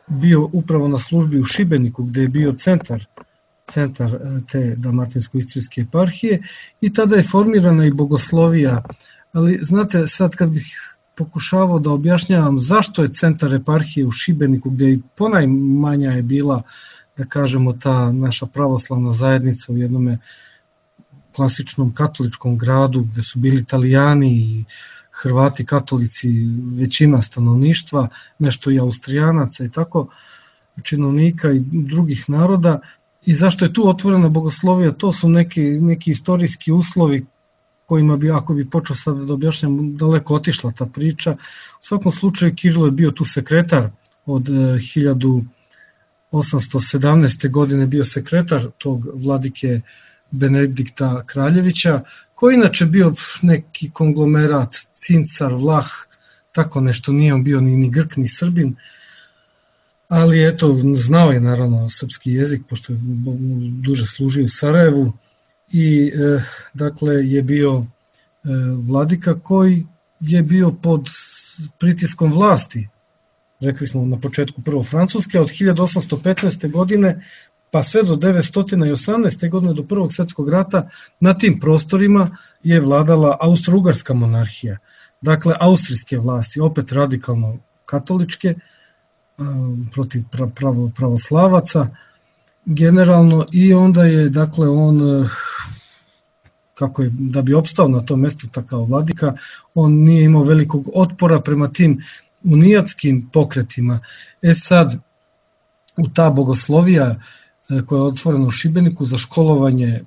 bio upravo na službi u Šibeniku, gde je bio centar te Dalmatinsko-istrijske eparhije i tada je formirana i bogoslovija. Ali znate, sad kad bih pokušavao da objašnjavam zašto je centar eparhije u Šibeniku, gde i ponajmanja je bila, da kažemo, ta naša pravoslavna zajednica u jednom klasičnom katoličkom gradu, gde su bili Italijani i Hrvati, katolici, većina stanovništva, nešto i Austrijanaca i tako, činovnika i drugih naroda. I zašto je tu otvorena bogoslovija? To su neki istorijski uslovi kojima bi, ako bi počeo sad da objašnjam, daleko otišla ta priča. U svakom slučaju Kirilo je bio tu sekretar od 1817. godine, bio sekretar tog vladike Benedikta Kraljevića, koji inače bio neki konglomerat, Cincar, Vlah, tako nešto, nije on bio ni Grk ni Srbin, ali eto, znao je naravno srpski jezik, pošto je duže služio u Sarajevu i dakle je bio vladika koji je bio pod pritiskom vlasti, rekli smo na početku prvo Francuske, od 1815. godine pa sve do 1918. godine, do Prvog svjetskog rata, na tim prostorima je vladala Austro-Ugarska monarhija. Dakle, austrijske vlasti, opet radikalno katoličke, protiv pravoslavaca generalno, i onda je, dakle, on, kako je, da bi opstao na tom mestu kao vladika, on nije imao velikog otpora prema tim unijatskim pokretima. Sad, u ta bogoslovija koja je otvorena u Šibeniku za školovanje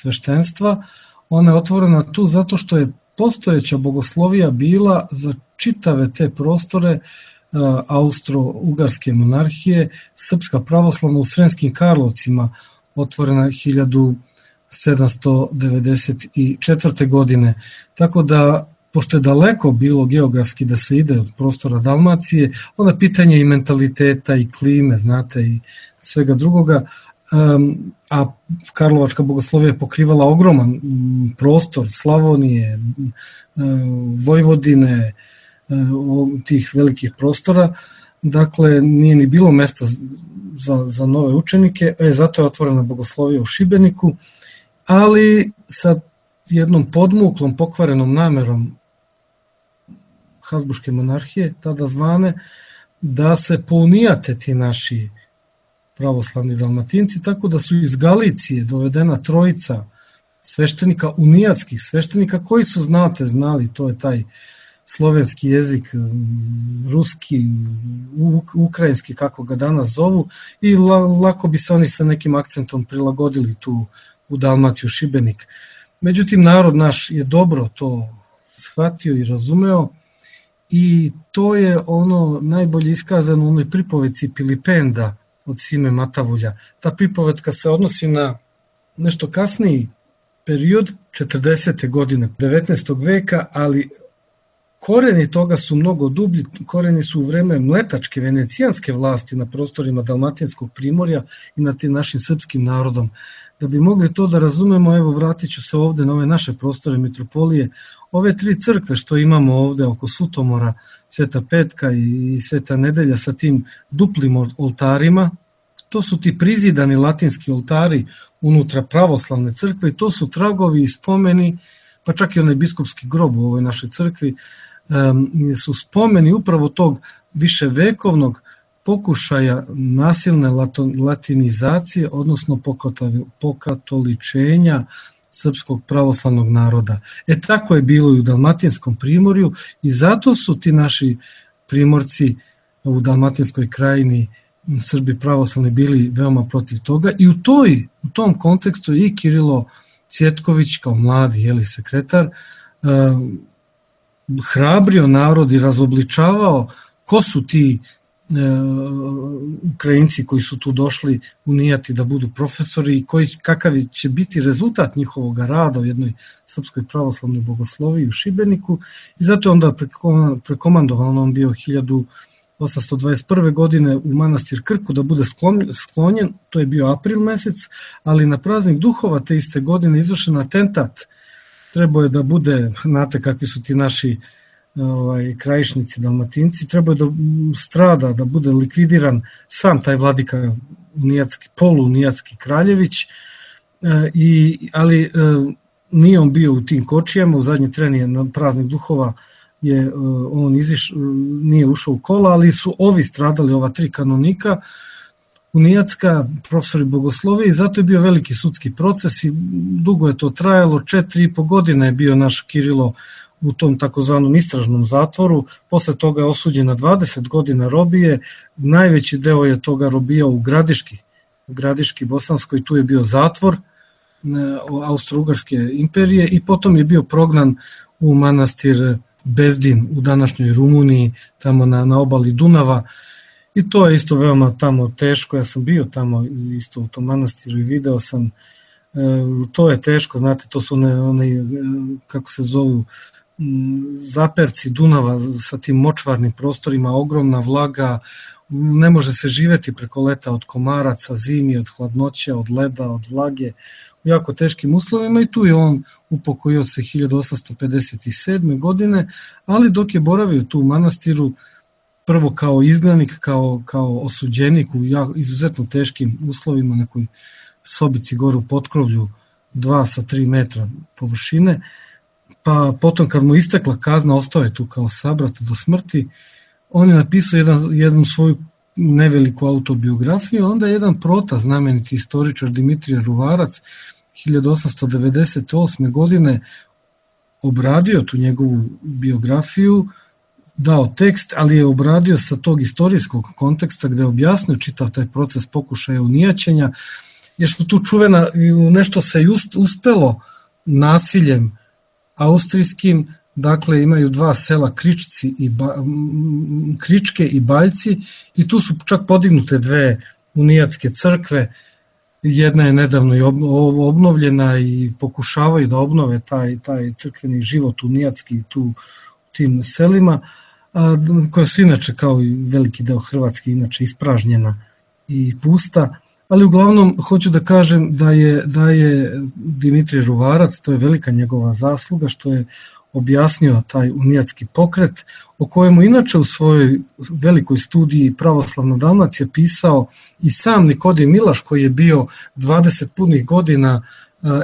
sveštenstva, ona je otvorena tu zato što je postojeća bogoslovija bila za čitave te prostore Austro-Ugarske monarhije, Srpska pravoslavna u Sremskim Karlovcima, otvorena 1794. godine. Tako da, pošto je daleko bilo geografski da se ide od prostora Dalmacije, onda pitanje i mentaliteta i klime, znate, i svega drugoga, a Karlovačka bogoslovija je pokrivala ogroman prostor Slavonije, Vojvodine, tih velikih prostora, dakle nije ni bilo mesta za nove učenike, zato je otvorena bogoslovija u Šibeniku, ali sa jednom podmuklom, pokvarenom namerom Habsburške monarhije, tada zvane, da se pounijate ti naši pravoslavni Dalmatinci, tako da su iz Galicije dovedena trojica sveštenika, unijatskih sveštenika, koji su, znali, to je taj slovenski jezik, ruski, ukrajinski, kako ga danas zovu, i lako bi se oni sa nekim akcentom prilagodili tu u Dalmaciju, Šibenik. Međutim, narod naš je dobro to shvatio i razumeo, i to je ono najbolje iskazano u onoj pripovetci Pilipenda od Sime Matavulja. Ta pripovetka se odnosi na nešto kasniji period, 40. godine 19. veka, ali koreni toga su mnogo dublji, koreni su u vreme mletačke, venecijanske vlasti na prostorima Dalmatinskog primorja i nad tim našim srpskim narodom. Da bi mogli to da razumemo, evo vratit ću se ovde na ove naše prostore mitropolije. Ove tri crkve što imamo ovde oko Sutomora, Sveta Petka i Sveta Nedelja sa tim duplim oltarima, to su ti prizidani latinski oltari unutra pravoslavne crkve i to su tragovi i spomeni, pa čak i onaj biskupski grob u ovoj našoj crkvi, su spomeni upravo tog viševekovnog pokušaja nasilne latinizacije, odnosno pokatoličenja srpskog pravoslavnog naroda. Tako je bilo i u Dalmatinskom primorju i zato su ti naši primorci u Dalmatinskoj krajini Srbi pravoslavni bili veoma protiv toga i u tom kontekstu i Kirilo Cvjetković kao mladi sekretar hrabrio narod i razobličavao ko su ti Ukrajinci koji su tu došli u Nijati da budu profesori i kakav će biti rezultat njihovog rada u jednoj Srpskoj pravoslavnoj bogosloviji u Šibeniku i zato je onda prekomandovan, on bio 1821. godine u manastir Krku da bude sklonjen, to je bio april mesec, ali na praznik duhova te iste godine izvršen atentat, trebao je da bude, znate kakvi su ti naši krajišnici, dalmatinci, trebao je da strada, da bude likvidiran sam taj vladika polunijatski Kraljević, ali nije on bio u tim kočijama, u zadnji tren je na praznik duhova on nije ušao u kola, ali su ovi stradali, ova 3 kanonika unijatska, profesori bogoslovije, i zato je bio veliki sudski proces i dugo je to trajalo, 4,5 godine je bio naš Kirilo u tom takozvanom istražnom zatvoru, posle toga je osuđen na 20 godina robije, najveći deo je toga robijao u Gradiški Bosanskoj, tu je bio zatvor Austro-Ugarske imperije i potom je bio prognan u manastir Bezdin u današnjoj Rumuniji, tamo na obali Dunava, i to je isto veoma tamo teško, ja sam bio tamo isto u tom manastiru i video sam, to je teško, znate, to su one kako se zovu, zaperci Dunava sa tim močvarnim prostorima, ogromna vlaga, ne može se živeti preko leta od komaraca, zimi, od hladnoća, od leda, od vlage, u jako teškim uslovima, i tu je on upokojio se 1857. godine, ali dok je boravio tu u manastiru, prvo kao izgnanik, kao osuđenik u izuzetno teškim uslovima, nekoj sobici gore u potkrovlju 2 sa 3 metra površine, pa potom kad mu istekla kazna, ostao je tu kao sabrat do smrti, on je napisao jednu svoju neveliku autobiografiju, onda je jedan prota, znameniti istoričar Dimitrije Ruvarac, 1898. godine obradio tu njegovu biografiju, dao tekst, ali je obradio sa tog istorijskog konteksta gde je objasnio čitav taj proces pokušaja unijaćenja, jer što tu čuvena, nešto se uspelo nasiljem austrijskim, dakle imaju 2 sela Kričke i Baljci, i tu su čak podignute 2 unijatske crkve, jedna je nedavno i obnovljena i pokušavaju da obnove taj crkveni život unijatski tu tim selima, koja su inače kao i veliki deo Hrvatske inače ispražnjena i pusta, ali uglavnom hoću da kažem da je Dimitrije Ruvarac, to je velika njegova zasluga što je objasnio taj unijatski pokret, o kojemu inače u svojoj velikoj studiji Pravoslavna Dalmacija pisao i sam Nikodem Milaš, koji je bio 20 punih godina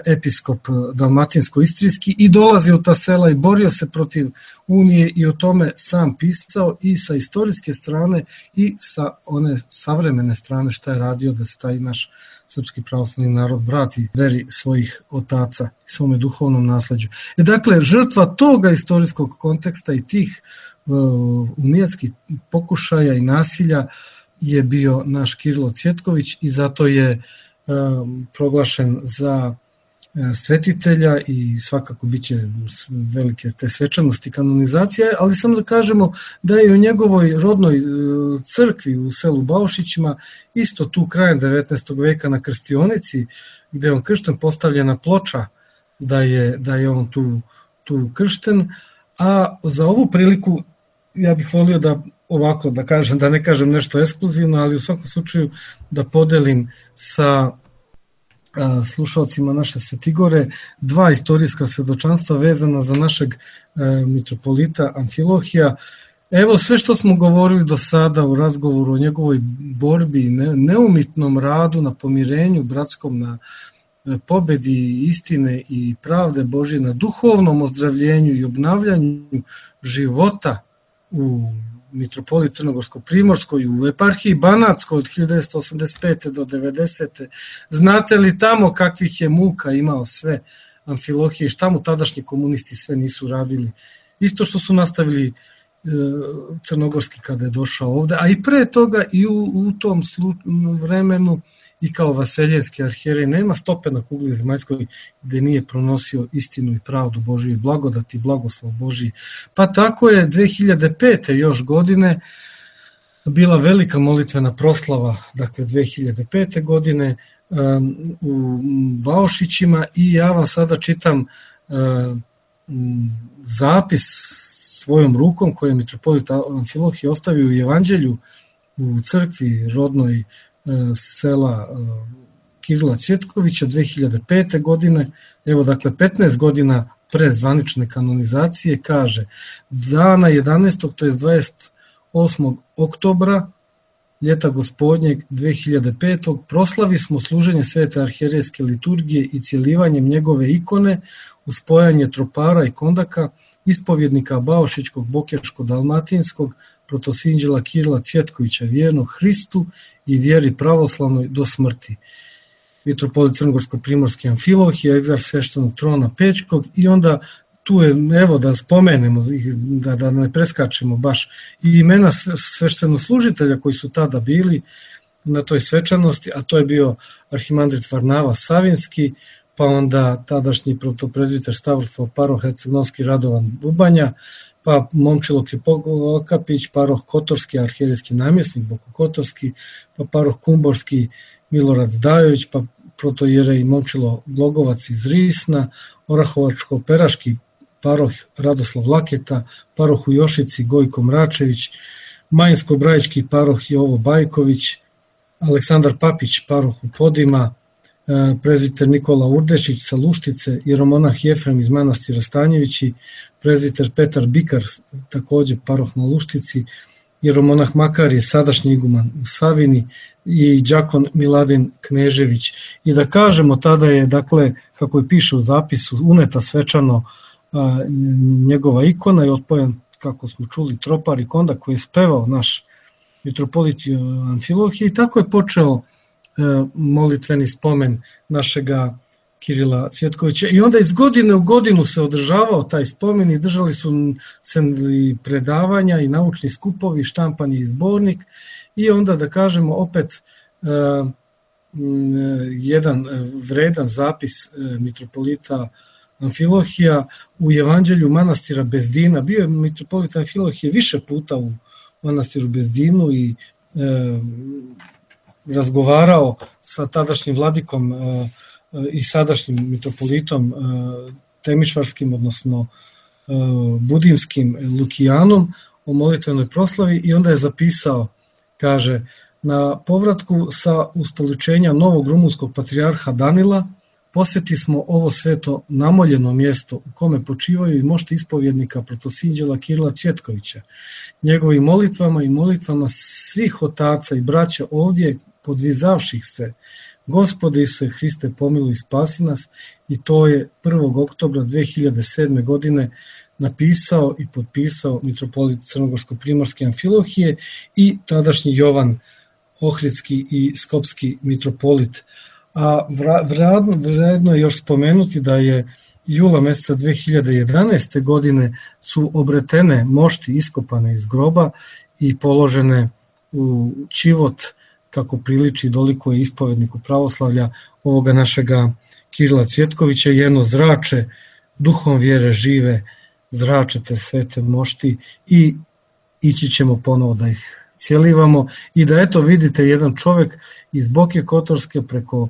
episkop dalmatinsko-istrijski i dolazio u ta sela i borio se protiv Unije i o tome sam pisao i sa istorijske strane i sa one savremene strane šta je radio da se taj naš srpski pravoslavni narod vrati veri svojih otaca i svome duhovnom nasleđu. Dakle, žrtva toga istorijskog konteksta i tih unijatskih pokušaja i nasilja je bio naš Kirilo Cvjetković i zato je proglašen za svetitelja i svakako biće velike te svečanosti kanonizacije, ali samo da kažemo da je u njegovoj rodnoj crkvi u selu Baušićima isto tu krajem 19. veka na krstionici gde je on kršten, postavljena ploča da je on tu kršten, a za ovu priliku ja bih volio da ovako da kažem, da ne kažem nešto ekskluzivno, ali u svakom slučaju da podelim sa slušalcima naše Svetigore 2 istorijska svedočanstva vezana za našeg mitropolita Amfilohija. Evo sve što smo govorili do sada u razgovoru o njegovoj borbi, neumitnom radu na pomirenju bratskom, na pobedi istine i pravde Božje, na duhovnom ozdravljenju i obnavljanju života u mitropoliji Crnogorsko-Primorskoj, u eparhiji Banatskoj od 1985. do 90. Znate li tamo kakvih je muka imao sve Amfilohije, šta mu tadašnji komunisti sve nisu radili? Isto što su nastavili crnogorski kada je došao ovde, a i pre toga i u tom vremenu i kao vaseljevski arhijerej nema stope na kugli zemaljskoj gde nije pronosio istinu i pravdu Božiju i blagodat i blagoslov Božiji. Pa tako je 2005. još godine bila velika molitvena proslava, dakle 2005. godine u Baošićima i ja vam sada čitam zapis svojom rukom koje je mitropolit Amfilohije ostavio u Evanđelju u crkvi rodnoj sela Kirila Cvjetkovića 2005. godine, evo dakle 15 godina pre zvanične kanonizacije, kaže: dana 11. to je 28. oktobra ljeta gospodnjeg 2005. proslavi smo služenje svete arhijerejske liturgije i cjelivanjem njegove ikone uz spojanje tropara i kondaka, ispovjednika Baošićkog, Bokeško-dalmatinskog, protosinđela Kirila Cvjetkovića, vjernog Hristu i vjeri pravoslavnoj do smrti. Mitropolit Crnogorsko-primorski Amfilohije, egzarh sveštenog trona Pećkog, i onda tu je, evo da spomenemo, da ne preskačemo baš, i imena sveštenoslужitelja koji su tada bili na toj svečanosti, a to je bio arhimandrit Varnava Savinski, pa onda tadašnji protoprezbiter Stavroslav paroh Herceg-Novski Radovan Bubanja, pa Momčilo Kripokapić, paroh Kotorski, arhijerejski namjesnik Boko Kotorski, pa paroh Kumborski Milorad Zdajović, pa protojerej Momčilo Glogovac iz Risna, Orahovačko-Peraški paroh Radoslav Laketa, paroh u Jošici Gojko Mračević, Majinsko-Brajički paroh Jovo Bajković, Aleksandar Papić paroh u Podima, prezbiter Nikola Urdešić sa Luštice, jeromonah Jefrem iz manastira Stanjevići, prezbiter Petar Bikar, takođe paroh na Luštici, jeromonah Makarije, sadašnji iguman u Savini, i đakon Miladin Knežević. I da kažemo, tada je, dakle, kako je piše u zapisu, uneta svečano njegova ikona i otpojen, kako smo čuli, tropar i kondak koji je spevao naš mitropolit Amfilohije, i tako je počeo molitveni spomen našega Kirila Cvjetkovića. I onda iz godine u godinu se održavao taj spomen i držali su se i predavanja i naučni skupovi, štampani i zbornik, i onda, da kažemo, opet jedan vredan zapis mitropolita Amfilohija u Evanđelju manastira Bezdina. Bio je mitropolit Amfilohije više puta u manastiru Bezdinu i razgovarao sa tadašnjim vladikom i sadašnjim mitropolitom Temišvarskim, odnosno Budimskim Lukijanom o molitvenoj proslavi, i onda je zapisao, kaže: na povratku sa ustoličenja novog rumunskog patrijarha Danila posjeti smo ovo sveto namoljeno mjesto u kome počivaju i mošti ispovjednika protosinđela Kirila Cvjetkovića. Njegovim molitvama i molitvama svih otaca i braća ovdje podvizavših se: Gospode Isuse Hriste, pomiluj i spasi nas. I to je 1. oktobra 2007. godine napisao i potpisao mitropolit Crnogorsko-primorske Amfilohije i tadašnji Jovan Ohridski i Skopski mitropolit. A vredno je još spomenuti da je jula meseca 2011. godine su obretene mošti iskopane iz groba i položene u čivot, kako priliči doliko je ispovedniku pravoslavlja ovoga našega Kirila Cvjetkovića, jedno zrače duhom vjere žive, zračete svete mošti, i ići ćemo ponovo da ih cjelivamo. I da, eto, vidite, jedan čovjek iz Boke Kotorske preko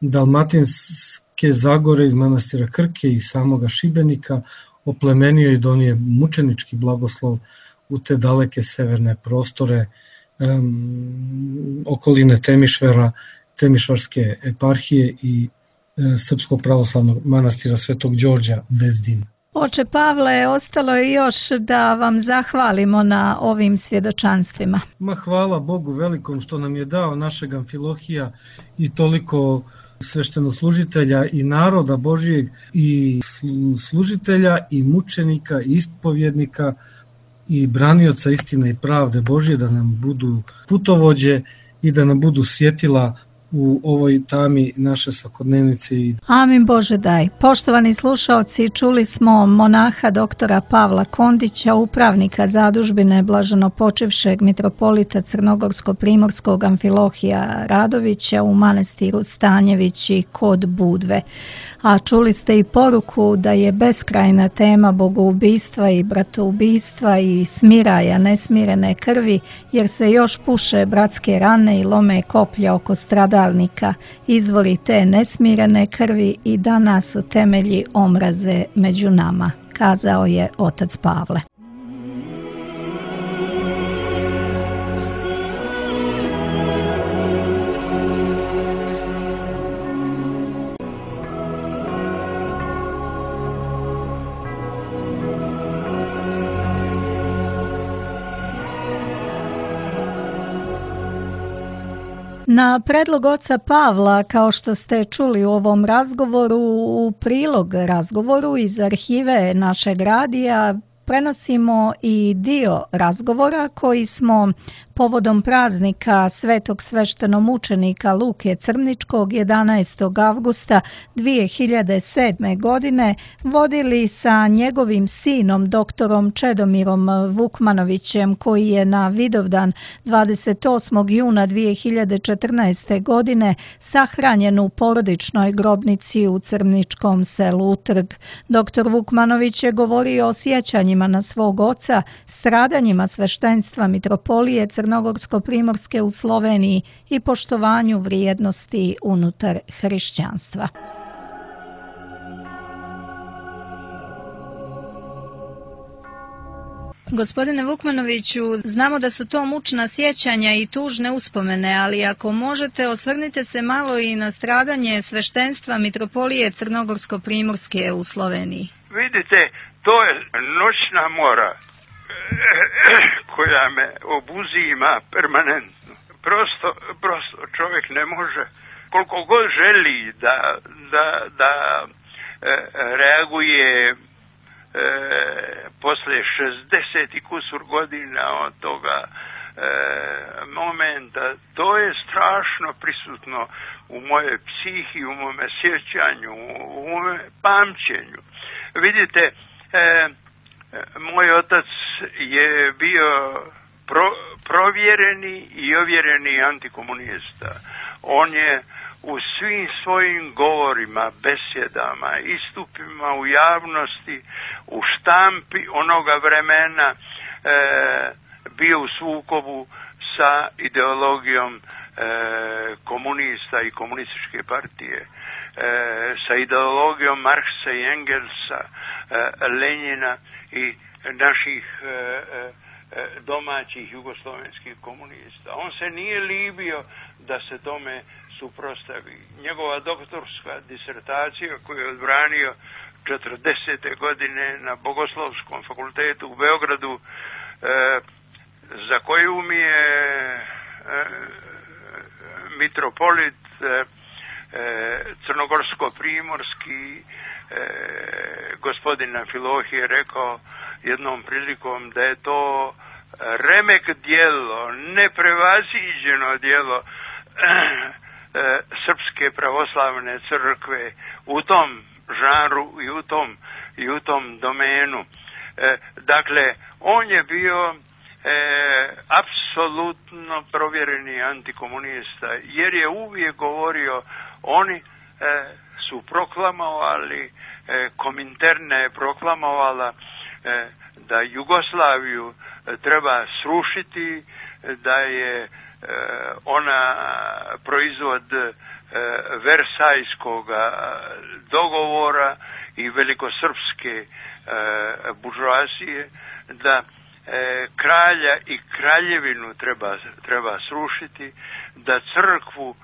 Dalmatinske Zagore, iz manastira Krke i samoga Šibenika oplemenio i donije mučenički blagoslov u te daleke severne prostore okoline Temišvara, Temišvarske eparhije i Srpskog pravoslavnog manastira Svetog Đorđa Bezdin. Oče Pavle, ostalo je još da vam zahvalimo na ovim svjedočanstvima. Hvala Bogu velikom što nam je dao našeg Amfilohija i toliko sveštenoslужitelja i naroda Božijeg, i služitelja i mučenika i ispovjednika i branioca istine i pravde Božije, da nam budu putovođe i da nam budu svjetila u ovoj tami naše svakodnevnice. Amin Bože daj. Poštovani slušaoci, čuli smo monaha doktora Pavla Kondića, upravnika zadužbine blaženopočivšeg mitropolita Crnogorsko-primorskog Amfilohija Radovića u manastiru Stanjevići kod Budve. A čuli ste i poruku da je beskrajna tema bogoubistva i bratoubistva i smiraja nesmirene krvi, jer se još puše bratske rane i lome koplja oko stradalnika, izvori te nesmirene krvi i danas su temelji omraze među nama, kazao je otac Pavle. Na predlog oca Pavla, kao što ste čuli u ovom razgovoru, u prilog razgovoru iz arhive našeg radija prenosimo i dio razgovora koji smo povodom praznika svetog sveštenomučenika Luke Crničkog 11. avgusta 2007. godine vodili sa njegovim sinom doktorom Čedomirom Vukmanovićem, koji je na Vidovdan 28. juna 2014. godine sahranjen u porodičnoj grobnici u Crničkom selu Trg. Doktor Vukmanović je govorio o sjećanjima na svog oca, stradanjima sveštenstva mitropolije Crnogorsko-primorske u Sloveniji i poštovanju vrijednosti unutar hrišćanstva. Gospodine Vukmanoviću, znamo da su to mučna sjećanja i tužne uspomene, ali ako možete, osvrnite se malo i na stradanje sveštenstva mitropolije Crnogorsko-primorske u Sloveniji. Vidite, to je noćna mora koja me obuzima permanentno. Prosto čovjek ne može, koliko god želi da reaguje posle 60 i kusur godina od toga momenta, to je strašno prisutno u moje psihi, u mome sjećanju, u mome pamćenju. Vidite, moj otac je bio provjereni i ovjereni antikomunista. On je u svim svojim govorima, besjedama, istupima u javnosti, u štampi onoga vremena bio u sukobu sa ideologijom komunista i komunističke partije, sa ideologijom Marksa i Engelsa, Lenjina i naših domaćih jugoslovenskih komunista. On se nije libio da se tome suprotstavi. Njegova doktorska disertacija koju je odbranio 40. godine na Bogoslovskom fakultetu u Beogradu, za koju mi je mitropolit Crnogorsko-primorski gospodin Amfilohije rekao jednom prilikom da je to remek djelo, neprevaziđeno djelo Srpske pravoslavne crkve u tom žanru i u tom domenu. Dakle, on je bio apsolutno provjereni antikomunista, jer je uvijek govorio, oni su proklamovali, Kominterna je proklamovala da Jugoslaviju treba srušiti, da je ona proizvod Versajskog dogovora i velikosrpske buržoazije, da kralja i kraljevinu treba srušiti, da crkvu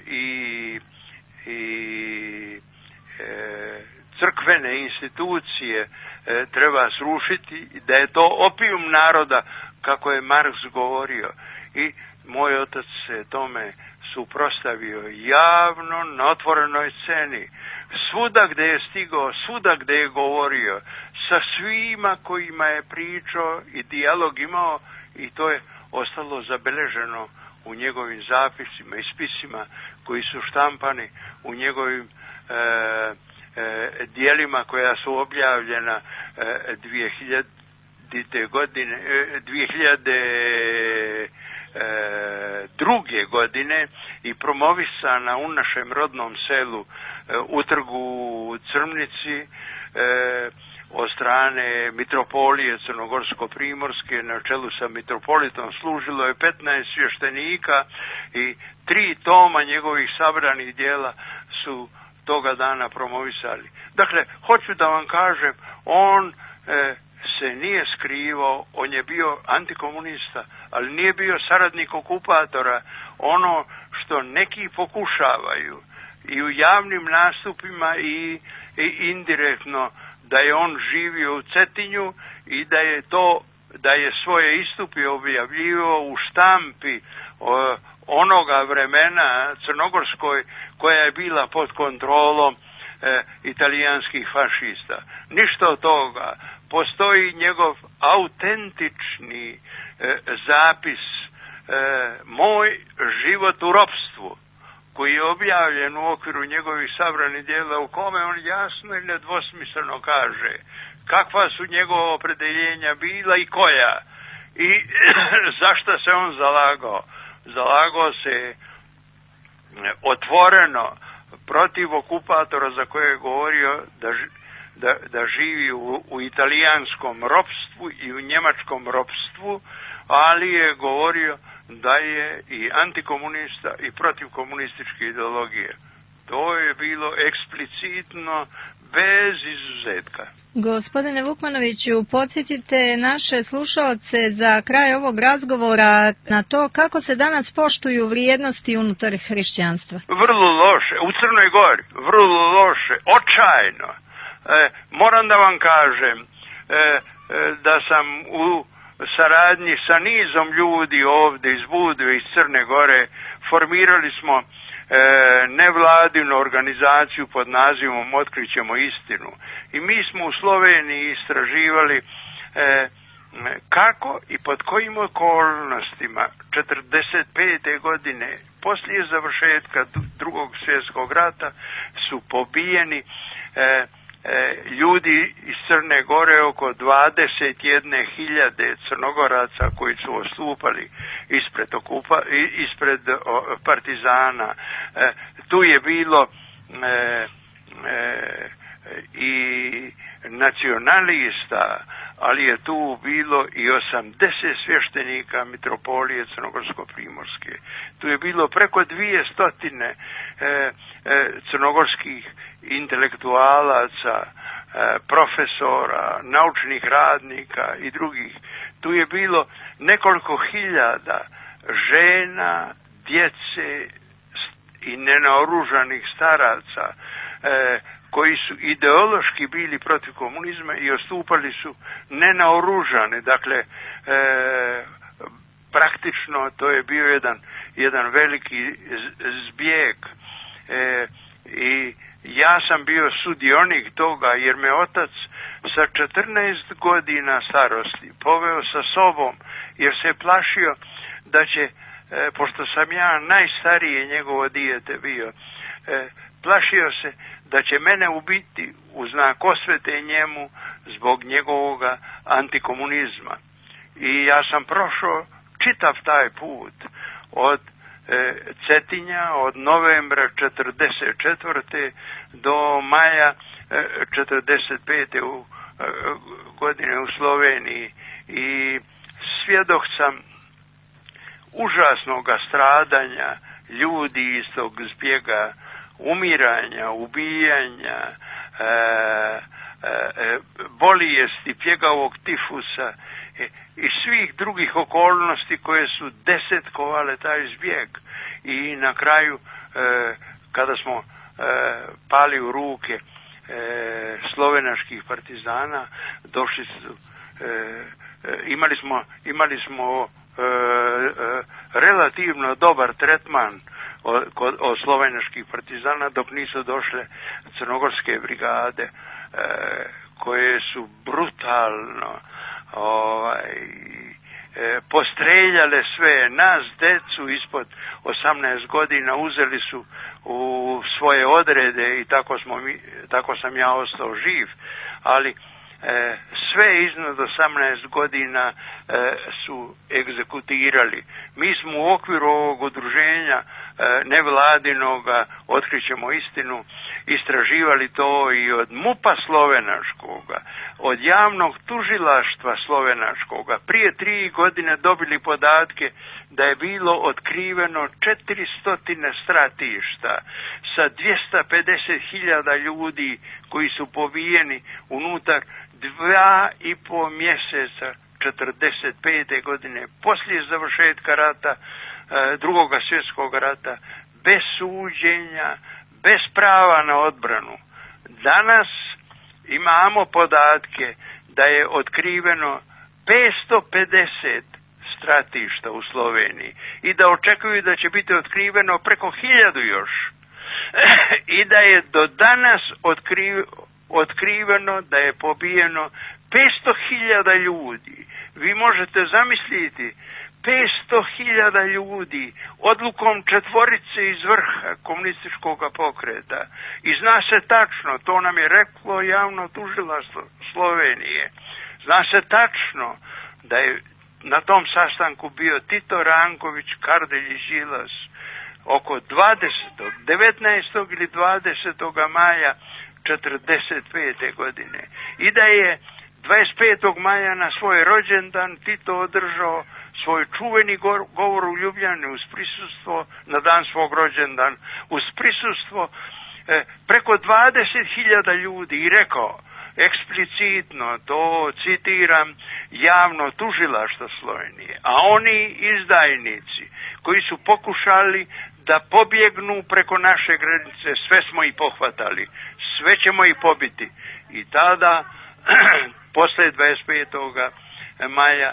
i crkvene institucije treba srušiti, da je to opijum naroda, kako je Marks govorio. I moj otac se tome suprotstavio javno na otvorenoj sceni. Svuda gdje je stigao, svuda gdje je govorio, sa svima kojima je pričao i dijalog imao, i to je ostalo zabeleženo u njegovim zapisima i spisima koji su štampani u njegovim dijelima koja su objavljena 2002. godine i promovisana u našem rodnom selu u trgu Crmnici od strane mitropolije Crnogorsko-primorske na čelu sa mitropolitom. Služilo je 15 svještenika i 3 toma njegovih sabranih dijela su toga dana promovisali. Dakle, hoću da vam kažem, on se nije skrivao, on je bio antikomunista, ali nije bio saradnik okupatora. Ono što neki pokušavaju i u javnim nastupima i indirektno, da je on živio u Cetinju i da je svoje istupe objavljivao u štampi onoga vremena crnogorskoj koja je bila pod kontrolom italijanskih fašista. Ništa od toga. Postoji njegov autentični zapis Moj život u ropstvu, koji je objavljen u okviru njegovih sabranih dijela, u kome on jasno i nedvosmisleno kaže kakva su njegova opredeljenja bila i koja i zašto se on zalagao. Zalagao se otvoreno protiv okupatora za koje je govorio da živi u italijanskom ropstvu i u njemačkom ropstvu, ali je govorio da je i antikomunista i protiv komunističke ideologije. To je bilo eksplicitno, bez izuzetka. Gospodine Vukmanoviću, podsjetite naše slušalce za kraj ovog razgovora na to kako se danas poštuju vrijednosti unutar hrišćanstva. Vrlo loše, u Crnoj Gori, vrlo loše, očajno. Moram da vam kažem da sam u saradnji sa nizom ljudi ovdje iz Budve, iz Crne Gore, formirali smo nevladinu organizaciju pod nazivom Otkrićemo istinu. I mi smo u Sloveniji istraživali kako i pod kojim okolnostima 45. godine poslije završetka Drugog svjetskog rata su pobijeni ljudi iz Crne Gore, oko 21.000 Crnogoraca koji su odstupali ispred partizana. Tu je bilo i nacionalista, ali je tu bilo i 80 svještenika mitropolije Crnogorsko-primorske. Tu je bilo preko 200 crnogorskih intelektualaca, profesora, naučnih radnika i drugih. Tu je bilo nekoliko hiljada žena, djece i nenaoružanih staraca koji su ideološki bili protiv komunizma i odstupali su nenaoružani. Dakle, praktično to je bio jedan veliki zbjeg i ja sam bio sudionik toga jer me otac sa 14 godina starosti poveo sa sobom jer se plašio da će, pošto sam ja najstarije njegovo dijete bio, plašio se da će mene ubiti u znak osvete njemu zbog njegovog antikomunizma. I ja sam prošao čitav taj put od Cetinja, od novembra 1944. do maja 1945. godine u Sloveniji i svjedok sam užasnog stradanja ljudi iz tog zbjega, umiranja, ubijanja, bolesti, pjegavog tifusa i svih drugih okolnosti koje su desetkovale taj zbjeg. I na kraju, kada smo pali u ruke slovenačkih partizana, došli su, imali smo relativno dobar tretman od slovenačkih partizana dok nisu došle crnogorske brigade koje su brutalno postreljale sve nas, decu ispod 18 godina, uzeli su u svoje odrede i tako sam ja ostao živ, ali sve iznad 18 godina su egzekutirali. Mi smo u okviru ovog udruženja nevladinoga Otkrićemo istinu istraživali to i od MUP-a slovenačkoga, od javnog tužilaštva slovenačkoga. Prije 3 godine dobili podatke da je bilo otkriveno 400 stratišta sa 250.000 ljudi koji su pobijeni unutar 2,5 mjeseca 45. godine poslije završetka rata, Drugog svjetskog rata, bez suđenja, bez prava na odbranu. Danas imamo podatke da je otkriveno 550 stratišta u Sloveniji i da očekuju da će biti otkriveno preko 1000 još. I da je do danas otkriveno da je pobijeno 500.000 ljudi. Vi možete zamisliti 500.000 ljudi odlukom 4 iz vrha komunističkog pokreta. I zna se tačno, to nam je reklo javno tužilaštvo Slovenije, zna se tačno da je na tom sastanku bio Tito Ranković, Kardelj i Đilas oko 19. ili 20. maja 45. godine. I da je 25. maja na svoj rođendan Tito održao svoj čuveni govor u Ljubljani uz prisustvo, na dan svog rođendana, uz prisustvo preko 20.000 ljudi i rekao eksplicitno, to citiram, javno tužilaštvo Slovenije, a oni izdajnici koji su pokušali da pobjegnu preko naše granice, sve smo ih pohvatali, sve ćemo ih pobiti. I tada, posle 25. maja,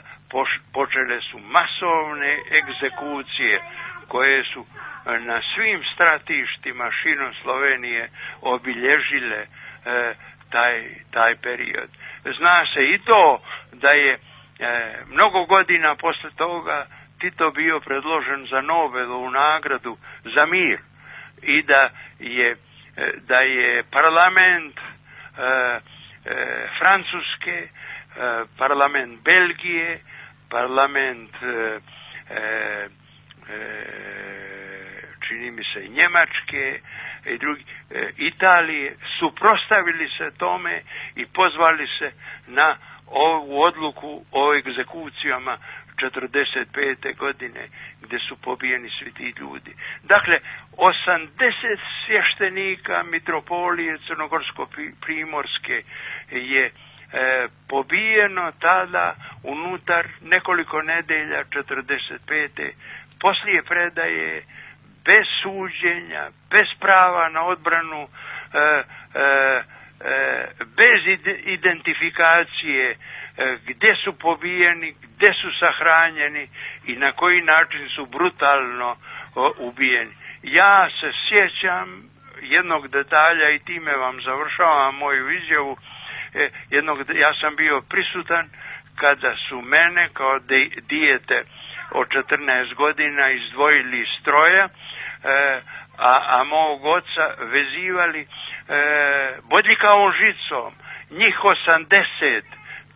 počele su masovne egzekucije koje su na svim stratištima širom Slovenije obilježile taj period. Zna se i to da je mnogo godina posle toga Tito bio predložen za Nobelovu nagradu za mir i da je parlament Francuske, parlament Belgije, parlament čini mi se Njemačke i drugi, Italije, suprotstavili se tome i pozvali se na ovu odluku o egzekucijama 45. godine gdje su pobijeni svi ti ljudi. Dakle, 80 svještenika mitropolije Crnogorsko-Primorske je pobijeno tada unutar nekoliko nedelja 45. Poslije predaje, bez suđenja, bez prava na odbranu, bez identifikacije gdje su pobijeni, gdje su sahranjeni i na koji način su brutalno ubijeni. Ja se sjećam jednog detalja i time vam završavam moju izjavu. Ja sam bio prisutan kada su mene kao dijete od 14 godina izdvojili iz stroja, a mog oca vezivali bodljikavom žicom. Njih 80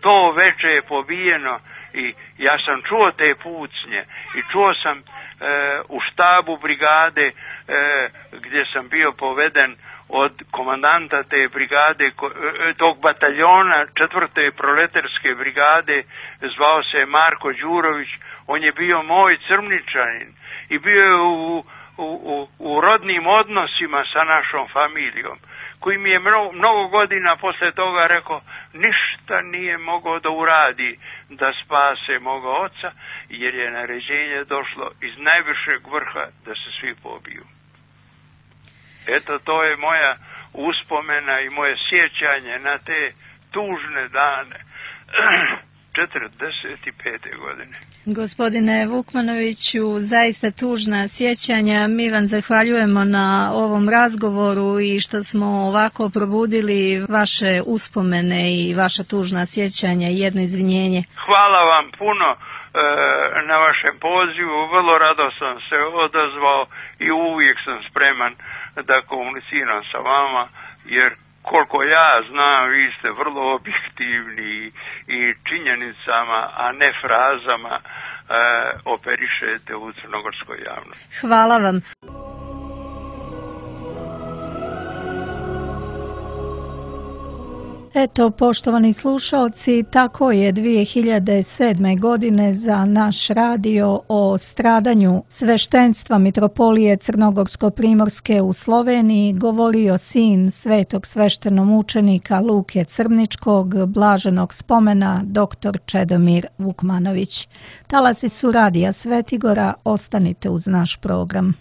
to veče je pobijeno i ja sam čuo te pucnje i čuo sam u štabu brigade gdje sam bio poveden od komandanta te brigade, tog bataljona 4. proletarske brigade, zvao se Marko Đurović. On je bio moj Crmničanin i bio je u rodnim odnosima sa našom familijom, koji mi je mnogo godina posle toga rekao ništa nije mogao da uradi da spase moga oca, jer je naređenje došlo iz najvišeg vrha da se svi pobiju. Eto, to je moja uspomena i moje sjećanje na te tužne dane 45. godine. Gospodine Vukmanoviću, zaista tužna sjećanja. Mi vam zahvaljujemo na ovom razgovoru i što smo ovako probudili vaše uspomene i vaša tužna sjećanja i jedno izvinjenje. Hvala vam puno na vašem pozivu. Vrlo rado sam se odazvao i uvijek sam spreman da komuniciram sa vama, jer koliko ja znam, vi ste vrlo objektivni i činjenicama, a ne frazama operišete u crnogorskoj javnosti. Hvala vam. Eto, poštovani slušalci, tako je 2007. godine za naš radio o stradanju sveštenstva Mitropolije Crnogorsko-Primorske u Sloveniji govorio sin svetog sveštenomučenika Luke Crničkog, blaženog spomena dr. Čedomir Vukmanović. Talasi su radija Svetigora, ostanite uz naš program.